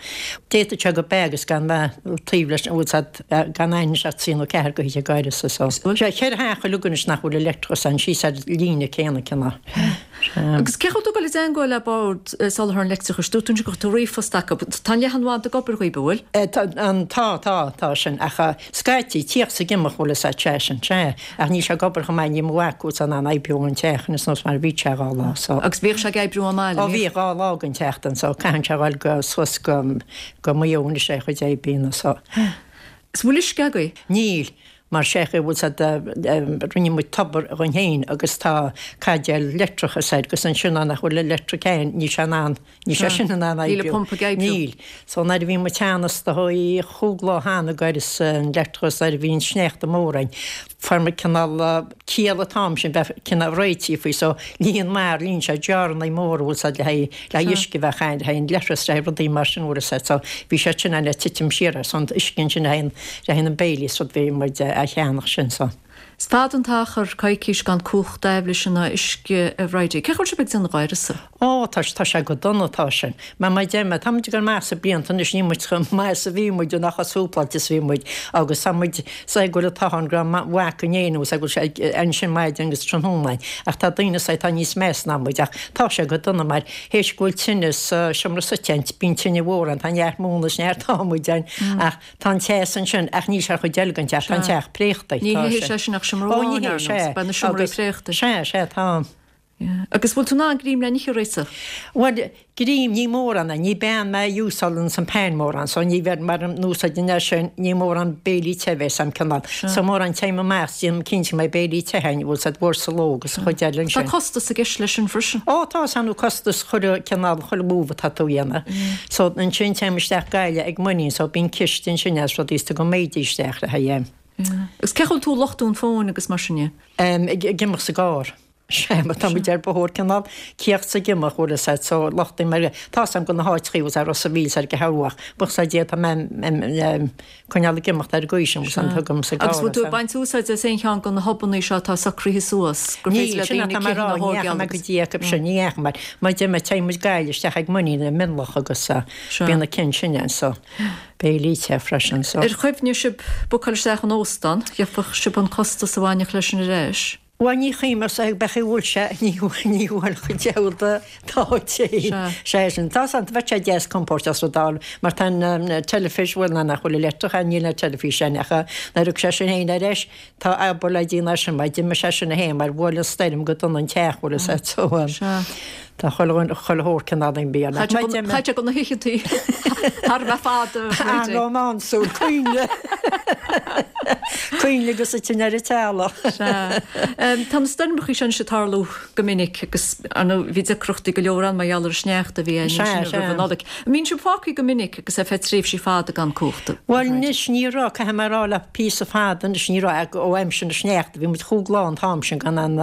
d'fhéadfadh sé go b'ea agus gan bheith taobh leis an bhfuil 's a'd gan aithne ach trí nó ceathair go hoíche gairid so. Sé cheithre theach uilig anois nach bhfuil leictreachas ann síos ar líne céanna cineál. Agus cén chaoi a bhfuil tú ag dul i dteangmháil le Bord Soláthair an Leictreachais? Dúirt tú ansin go bhfuil tú ríomhphost acu. Tá an leathanbhanda ag obair dhaoib, an bhfuil? Tá, tá, tá, tá sin. Ach scaití, tíocht 's ag imeacht, bhfuil fhios a'd, sea sin, sea. Ach níl sé ag obair chomh maith, níl mo mhac fós in ann oibriú an teach anois nós mar a bhí sé dhá lá, so. Agus bhíodh sé ag oibriú an maith, Ó bhíodh dhá lá den tseachtain, so caitheann sé a dhul go, suas go, go Maigh Eo anois é a chuid oibríonna, so. Is bhfuil uisce agaibh? Níl. Mar sé chaoi bhfuil 's a'd rinne muid tobar dhúinn féin agus tá caidéal leictreachais air agus ansin nuair nach bhfuil an leictric ann níl sé in ann, níl sé sin in ann Níl oibriú. an pumpa ag oibriú. Níl. So nuair a bhí muid cheana is dóigh chúig lá cheana ag is an leictreachas nuair a bhí an sneachta mór ann fuair muid cineál ciall an t-am sin bheith cineál réitithe faoi so líon mar líon sé jarrannaí móra bhfuil 's a'd le haghaidh le haghaidh uisce a bheith ann le haghaidh an leithreas le haghaidh rudaí mar sin bhfuil 's a'd so bhí sé sin ann le titim siar ar son uisce ansin le haghaidh an le haghaidh na mbéilí is rud bhí muid a cheannach sin so. Is fada an t-achar, coicís gan cumhacht aibhléise ná uisce, a Bhridie. Cén chaoi a bhfuil sibh ag déanamh d'uireasa? Ó, tá, tá sé go dona, tá sin. Mar mar a deir mé, tá muid ag dul amach sna blianta anois, níl muid chomh maith is a bhí muid, ná chomh súpláilte is a bhí muid agus tá muid, 's ag go bhfuil an t-ádh orainn go raibh mac in éirinn agus go bhfuil sé ansin maidin agus tráthnóna ach tá daoine 's atá níos measa ná muid ach tá sé go dona mar théis go bhfuil tine sa seomra suite ann, bíonn tine mhór ann, tá neart móna is neart adhmaid ann ach Tá an teas ansin ach níl sé ar chuid eile den teach, tá an teach préachta. Ní théifidh sé sin ach seomra amháin ar nós, beidh na seomraí préachta. Sea, sea, tá. Agus bhfuil tú in ann greim le n-ithe a réiteach? Bhuel, greim, ní mórán é, ní bean mé a úsáideann an pan mórán, so ní bheidh, mar an úsáideann é sin, ní mórán béilí te a bheas a'm cineál. So mórán téim amach, déanaim cinnte go mbeidh béilí te a'inn, bhfuil 's a'd uair sa ló agus an chuid eile ansin. Tá costas i gceist leis sin freisin. Ó, tá, is ann costas chuile cineál, chuile move atá tú a dhéanamh. So ansin téim isteach Gaillimh ag muinín so bíonn ciste ansin as rudaí is tugann méidí isteach le haghaidh. Agus cén chaoi a bhfuil tú ag luchtú an fóin agus mar sin de? Ag imeacht sa gcarr. Sea, mar tá muid ar bóthar cineál cíocht 's ag imeacht bhfuil fhios a'd so luchtaím mar tá 's a'm go na háiteachaí bhfuil 's a'd Ros a' Mhíl 's ar go hEabhach buíochas le Dia tá mé coinneáil ag imeacht ar an gcaoi sin bhfuil 's a'd tugaim sa gcarr. Agus bhfuil tú ag baint úsáid as aon cheann de na hubannaí seo atá socraithe suas gur féidir le daoine cithne a thógáil agus. Ní dheachaigh mé go dtí acu sin, ní dheachaigh mar mar deir mé téann muid Gaillimh isteach ag muinín i Mionlach agus bíonn na cinn sin ann so béilí te freisin so. Ar chuimhnigh sibh bookáil isteach in óstán, gheobhadh sibh an costas a bhainfeadh leis sin ar ais? Bhuel ní chuimhneos ag beidh a bhfuil sé ní ní bhfuil chuid deabhal de dá dtéann sé sin. Tá san bheadh sé deas compóirteach sa Dáil mar tá an teilifís bhuel ná nach bhfuil leictreach ann níl an teilifís ann ach nuair a thug sé sin féin ar ais tá obair le déanamh air sin mar d'imigh sé sin féin mar bhuail an stoirm go dona an teach bhfuil fhios a'd so tá chuile chuile shórt cineál imbí ann. Chaith sé go na hoícheantaí thar a bheith fada. An-rómánsúil, coinnle. Coinnle agus an tine ar an teallach. Sea. Tá na stoirmeachaí seo anois ag tarlú go minic agus, ar ndóigh, bhí deacrachtaí go leor ann mar gheall ar an sneachta a bhí ann ansin roimh an Nollaig. An mbíonn sibh fágtha go minic agus ar feadh tréimhsí fada gan cumhacht? Bhuel anois ní raibh, caithfidh mé a rá le píosa fada anois ní raibh ó aimsir na sneachta, bhí muid chúig lá an t-am sin gan an,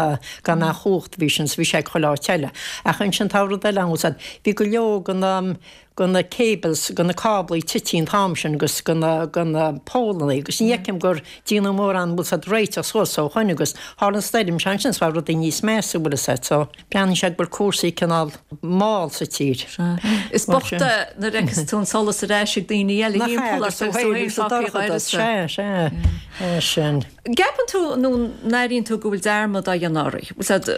gan an chumhacht bhí sin, so bhí sé ag chuile áit eile. Ach ansin tá rud eile ann, bhfuil 's a'd, bhí go leor go na, go na cables, go na cáblaí tite an t-am sin agus go na, go na pólannaí agus ní fheicim gur déanadh mórán bhfuil 's a'd réiteach suas ó shoin agus tharla an stoirm seo ansin so bhí rudaí níos measa bhfuil 'fhios a'd so breathnaíonn sé go bhfuil cúrsaí cineál mall sa tír. Sea. Is bocht é nuair a fheiceas tú an solas ar ais ag daoine eile Nach ea agus tú féin sa dorchadas, sea, sea, é sin. Gceapann tú nó an airíonn tú go bhfuil dearmad á dhéanamh oraibh? Bhfuil 's a'd.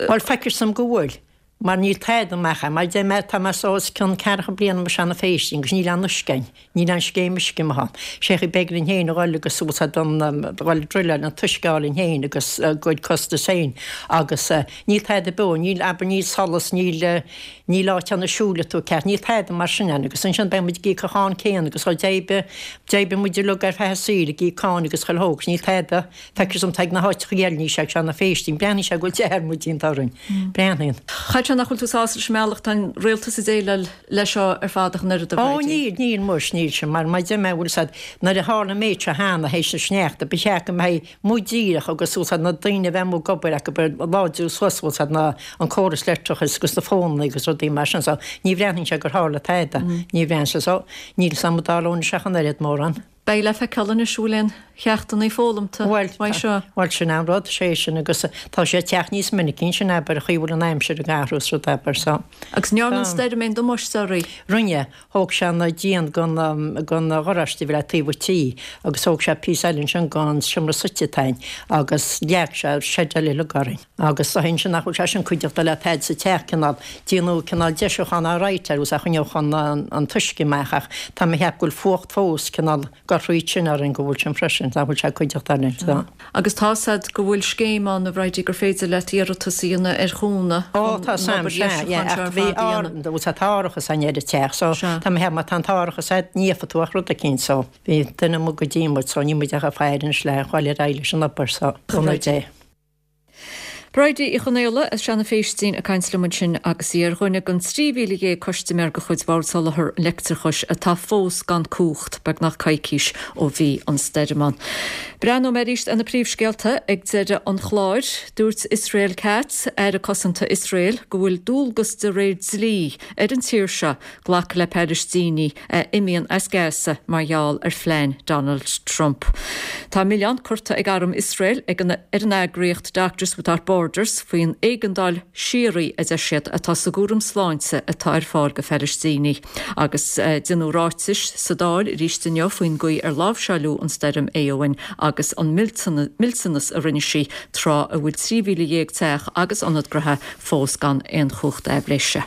Bhuel feictear dom go bhfuil. Mar níl tada amach ann. Mar deir mé, tá mé so os cionn ceathracha bliain i mo sheana-phéistín agus níl aon uisce ann. Níl aon scéim uisce amuigh ann. Sé chaoi b'éigean linn féin a dhul agus bhfuil 's a'd an, dhul ag druileáil an t-uisce a fháil linn féin agus ár gcuid costas féin. Agus níl tada beo, níl, abair, níl solas, níl, níl áit ann a siúlfaidh tú ceart, níl tada mar sin ann. Agus ansin beidh muid ag íoc an cháin céanna agus d'oibrigh, d'oibrigh muid uilig ar feadh an saoil ag íoc cáin agus chuile shórt agus níl tada. Feictear dom tá ag na háiteacha eile níl sé ag Seana-Phéistín. Breathnaíonn sé go bhfuil dearmad déanta orainn. Breathnaíonn. Chaithfeadh sé nach bhfuil tú sásta leis an mbealach atá an rialtas ag déileáil leis seo ar fad ach an oiread a Ó níl, níl muis, níl sin mar mar deir mé bhfuil 's a'd nuair a tharla an méid seo cheana théis na sneachta ba cheart go mbeidh muid díreach agus bhfuil 's a'd na daoine a bheith amuigh ag obair acu ag láidriú suas bhfuil 's a'd na an córas leictreachais agus na fónanna agus rudaí mar sin so ní bhreathnaíonn sé gur tharla tada. Ní bhreathnaíonn sé so níl 's a'm an dtarlóidh sé ach an oiread mórán. Beidh le feiceáil anois an bhfuil aon cheachtanna foghlamta uaidh seo. Bhuel, sin an rud, sé sin agus tá sé ag teacht níos minicí ansin abair, an chaoi a bhfuil an aimsir ag athrú is rud abair so. Agus an ndearna an stoirm aon damáiste oraibh? Rinne. Thóg sé an díon gon, gon gharáiste a bhí le taobh an tí agus thóg sé píosa eile ansin gon seomra suite atá ann agus leag sé seid eile uilig orainn. Agus dá shin sin nach bhfuil sé sin cuideachta le tada sa teach, cineál, déanadh cineál deisiúchán alright air agus a choinneodh an an t-uisce amach ach tá mé a cheapadh go bhfuil fuacht fós cineál ag dul thríd sin orainn go bhfuil sin freisin, nach bhfuil sé cuideachta linn so. Agus tá 's a'd go bhfuil scéim ann a Bhridie gur féidir leat iarratas a dhéanamh ar chúnamh Ó tá 's a'm, sea, yeah, ach bhí ár, bhfuil tá árachas a'inn ar an teach so tá mé a cheapadh má tá an t-árachas a'd ní íocfaidh tú ach rud eicínt so bhí duine amuigh go dtí muid so níl muid ach ag faire anois le dhul ar aghaidh leis an obair so, cúnamh Dé. Bridie Uí Chonaola as Seanadh Phéistín ag caint liom ansin agus í ar dhuine den 13,000 custaiméir de chuid Bhord Soláthair an Leictreachais atá fós gan cumhacht, beagnach coicís ó bhí an stoirm ann. Breathnóidh mé arís ar na príomhscéalta ag deireadh an chláir. Dúirt Israel Katz, Aire Cosanta Iosrael, go bhfuil dualgas de réir dlí ar an tír seo glacadh le Palaistínigh a imíonn as Gaza mar gheall ar phlean Donald Trump. Tá milleán curtha ag arm Iosrael ag an ar an eagraíocht Doctors Without Borders faoin éigeandáil síoraí, a deir siad, atá sa gcúram sláinte atá ar fáil go Phalaistínigh. Agus déanadh ráitis sa Dáil arís inniu faoin gcaoi ar láimhseáileadh an stoirm Éowyn agus an millteanas a rinne sí tráth a bhfuil 13,000 teach agus ionad gnoithe fós gan aon chumhacht aibhléise.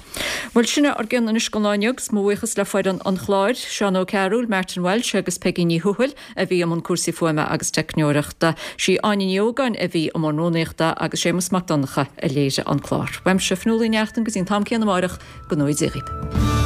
Bhuel, sin é ár gcion anois don lá inniu agus mo bhuíochas le foireann an chláir, Seán Ó Cearúil, Martin Walsh agus Peigí Ní Thuathail a bhí i mbun cúrsaí fuaime agus teicneoireachta. Sí Áine Ní Ógáin a bhí i mbun rúnaíochta agus Séamus Mac Donncha a léirigh an clár. Uaimse, Fionnuala Ní Neachtain, go dtí an t-am céanna amáireach, go ngnóthaí Dia dhaoibh.